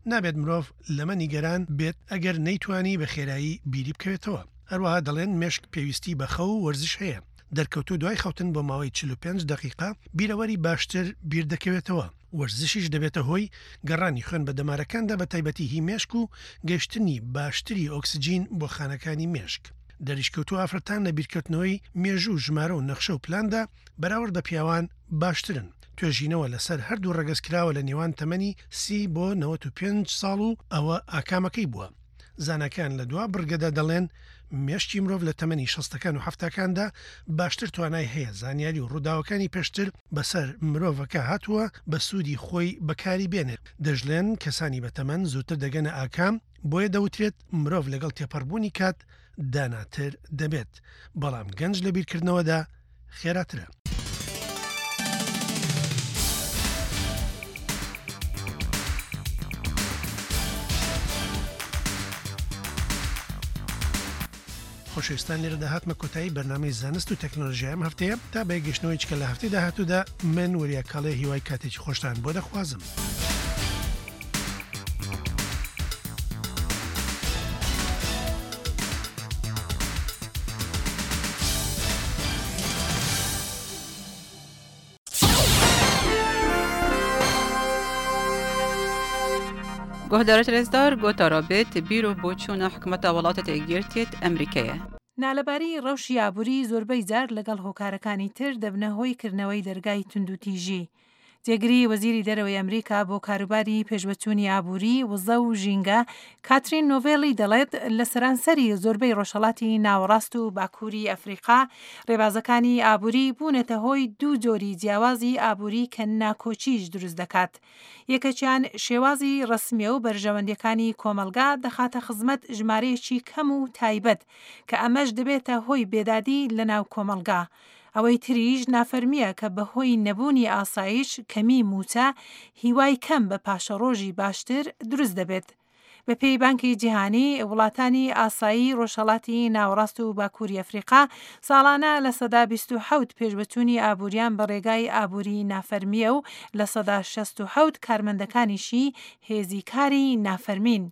نابێت مرۆڤ لەمە نیگەران بێت ئەگەر نەیتوانی بە خێرایی بیری بکەوێتەوە. هەروەها دەڵێن مێشک پێویستی بە خەو و وەرزش هەیە. دەرکەوتوو دوای خەوتن بۆ ماوەی 45 دەقیقە بیرەوەری باشتر بیردەکەوێتەوە. وەرزشیش دەبێتە هۆی گەڕانی خوێن بە دەمارەکاندا بە تایبەتی هی مێشک و گەشتنی باشتری ئۆکسجین بۆ خانەکانی مێشک. دەریشکەوتوو ئافرەتان لە بیرکەوتنەوەی مێژوو و ژمارە و نەخشە و پلاندا بەراورد بە پیاوان باشترن. توێژینەوە لەسەر هەردوو ڕەگەز کراوە لە نێوان تەمەنی سی بۆ 95 ساڵ و ئەوە ئاکامەکەی بووە. زاناکان لە دوا بڕگەدا دەڵێن مێشکی مرۆڤ لە تەمەنی شەستەکان و حەفتاکاندا باشتر توانای هەیە زانیاری و ڕووداوەکانی پێشتر بەسەر مرۆڤەکە هاتووە بە سوودی خۆی بەکاری بێنێت. دەشڵێن کەسانی بەتەمەن زووتر دەگەنە ئاکام، بۆیە دەوترێت مرۆڤ لەگەڵ تێپەڕبوونی کات داناتر دەبێت، بەڵام گەنج لە بیرکردنەوەدا خێراترە. خۆشەویستان لێرەدا هاتمە کۆتایی بەرنامەی زانست و تەکنۆلۆژیای ئەم هەفتەیە تا بە یەکگەشتنەوەی چکە لە هەفتەی داهاتوودا من وریا کاڵێ هیوای کاتێکی خۆشتان بۆ دەخوازم. گۆهدارت رێزدار گۆتارا بێت بیر و بۆچوونە حکومەتە وڵاتە یەکگرتیت ئەمریکەیە. نالەباری ڕەوشی ئابووری زۆربەی جار لەگەڵ هۆکارەکانی تر دەبنە هۆی کردنەوەی دەرگای توندوتیژی. جێگری وەزیری دەرەوەی ئەمریکا بۆ کاروباری پێشڤەچوونی ئابووری، وزە و ژینگە، کاترین نۆڤێلی دەڵێت، لە سەرانسەری زۆربەی ڕۆژهەڵاتی ناوەڕاست و باکووری ئەفریقا، ڕێبازەکانی ئابووری بوونەتە هۆی دوو جۆری جیاوازی ئابووری کە ناکۆکیش دروست دەکات. یەکەکیان شێوازی ڕەسمییە و بەرژەوەندییەکانی کۆمەڵگا دەخاتە خزمەت ژمارەیەکی کەم و تایبەت، کە ئەمەش دەبێتە هۆی بێدادی لەناو کۆمەڵگا. ئەوەی تریش نافەرمییە کە بەهۆی نەبوونی ئاسایش، کەمیی مووچە، هیوای کەم بە پاشەڕۆژی باشتر دروست دەبێت. بەپێی بانکی جیهانی، وڵاتانی ئاسایی ڕۆژهەڵاتی ناوەڕاست و باکووری ئەفریقا ساڵانە 27% پێشڤەچوونی ئابووریان بە ڕێگای ئابووری نافەرمییە و 67% کارمەندەکانیشی هێزی کاری نافەرمین.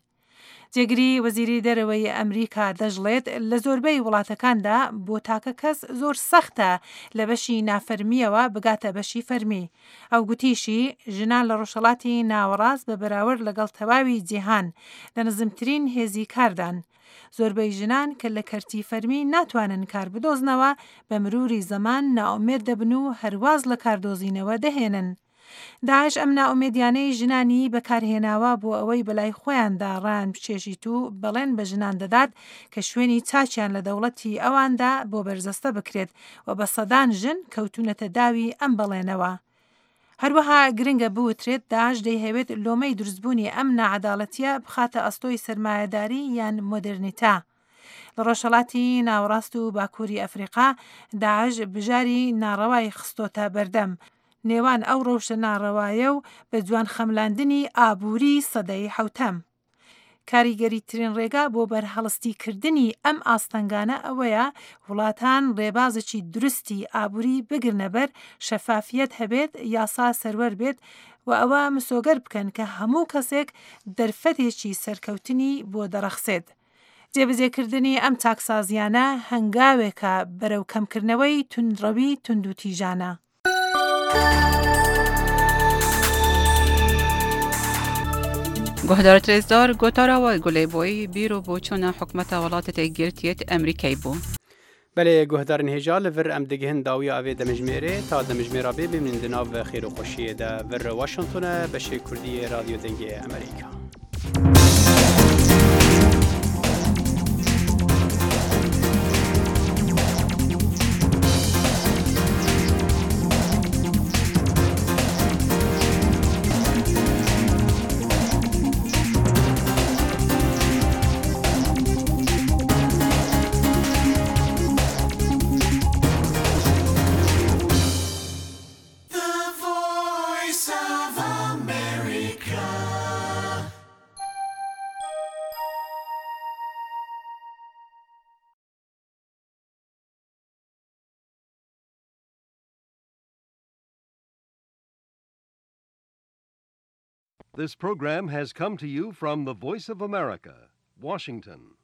جێگری وەزیری دەرەوەی ئەمریکا دەشڵێت، لە زۆربەی وڵاتەکاندا بۆ تاکە کەس زۆر سەختە لە بەشی نافەرمییەوە بگاتە بەشی فەرمی. ئەو گوتیشی، ژنان لە ڕۆژهەڵاتی ناوەڕاست بە بەراورد لەگەڵ تەواوی جیهان لە نزمترین هێزی کاردان. زۆربەی ژنان کە لە کەرتی فەرمی ناتوانن کار بدۆزنەوە، بە مروری زەمان نائومێد دەبن و هەر واز لە کاردۆزینەوە دەهێنن. داعش ئەم نائومێدیانەی ژنانی بەکارهێناوە بۆ ئەوەی بەلای خۆیاندا ڕایان بکێشیت و بەڵێن بە ژنان دەدات کە شوێنی چاکیان لە دەوڵەتی ئەواندا بۆ بەرجەستە بکرێت و بە سەدان ژن کەوتوونەتە داوی ئەم بەڵێنەوە. هەروەها گرنگە بوترێت داعش دەیهەوێت لۆمەی دروستبوونی ئەم ناعەداڵەتییە بخاتە ئەستۆی سەرمایەداری یان مۆدێرنیتە. لە ڕۆژهەڵاتی ناوەڕاست و باکووری ئەفریقا داعش بژاری ناڕەوای خستۆتە بەردەم نێوان ئەو ڕەوشە ناڕەوایە و بە جوان خەملاندنی ئابووری سەدەی حەوتەم. کاریگەریترین ڕێگا بۆ بەرهەڵستی کردنی ئەم ئاستەنگانە ئەوەیە وڵاتان ڕێبازێکی دروستی ئابووری بگرنە بەر، شەفافیەت هەبێت، یاسا سەروەر بێت و ئەوە مسۆگەر بکەن کە هەموو کەسێک دەرفەتێکی سەرکەوتنی بۆ دەڕەخسێت. جێبەجێکردنی ئەم چاکسازییانە هەنگاوێکە بەرەو کەمکردنەوەی توندڕەوی توندوتیژانە. گۆهدارت رێزدار گۆتارا وای گولەی بۆی بیر و بۆچوونە حکومەتە وڵاتە یەکگرتیەت ئەمریکای بوو. Belê guhdarên hêja li vir em digihin dawiya evê demijmêrê ta demijmêra bê bimînin di nav xêr û xweşiyê de vir Washington e beşê Kurdî yê Radyo Dengê Amerîka. This program has come to you from the Voice of America, Washington.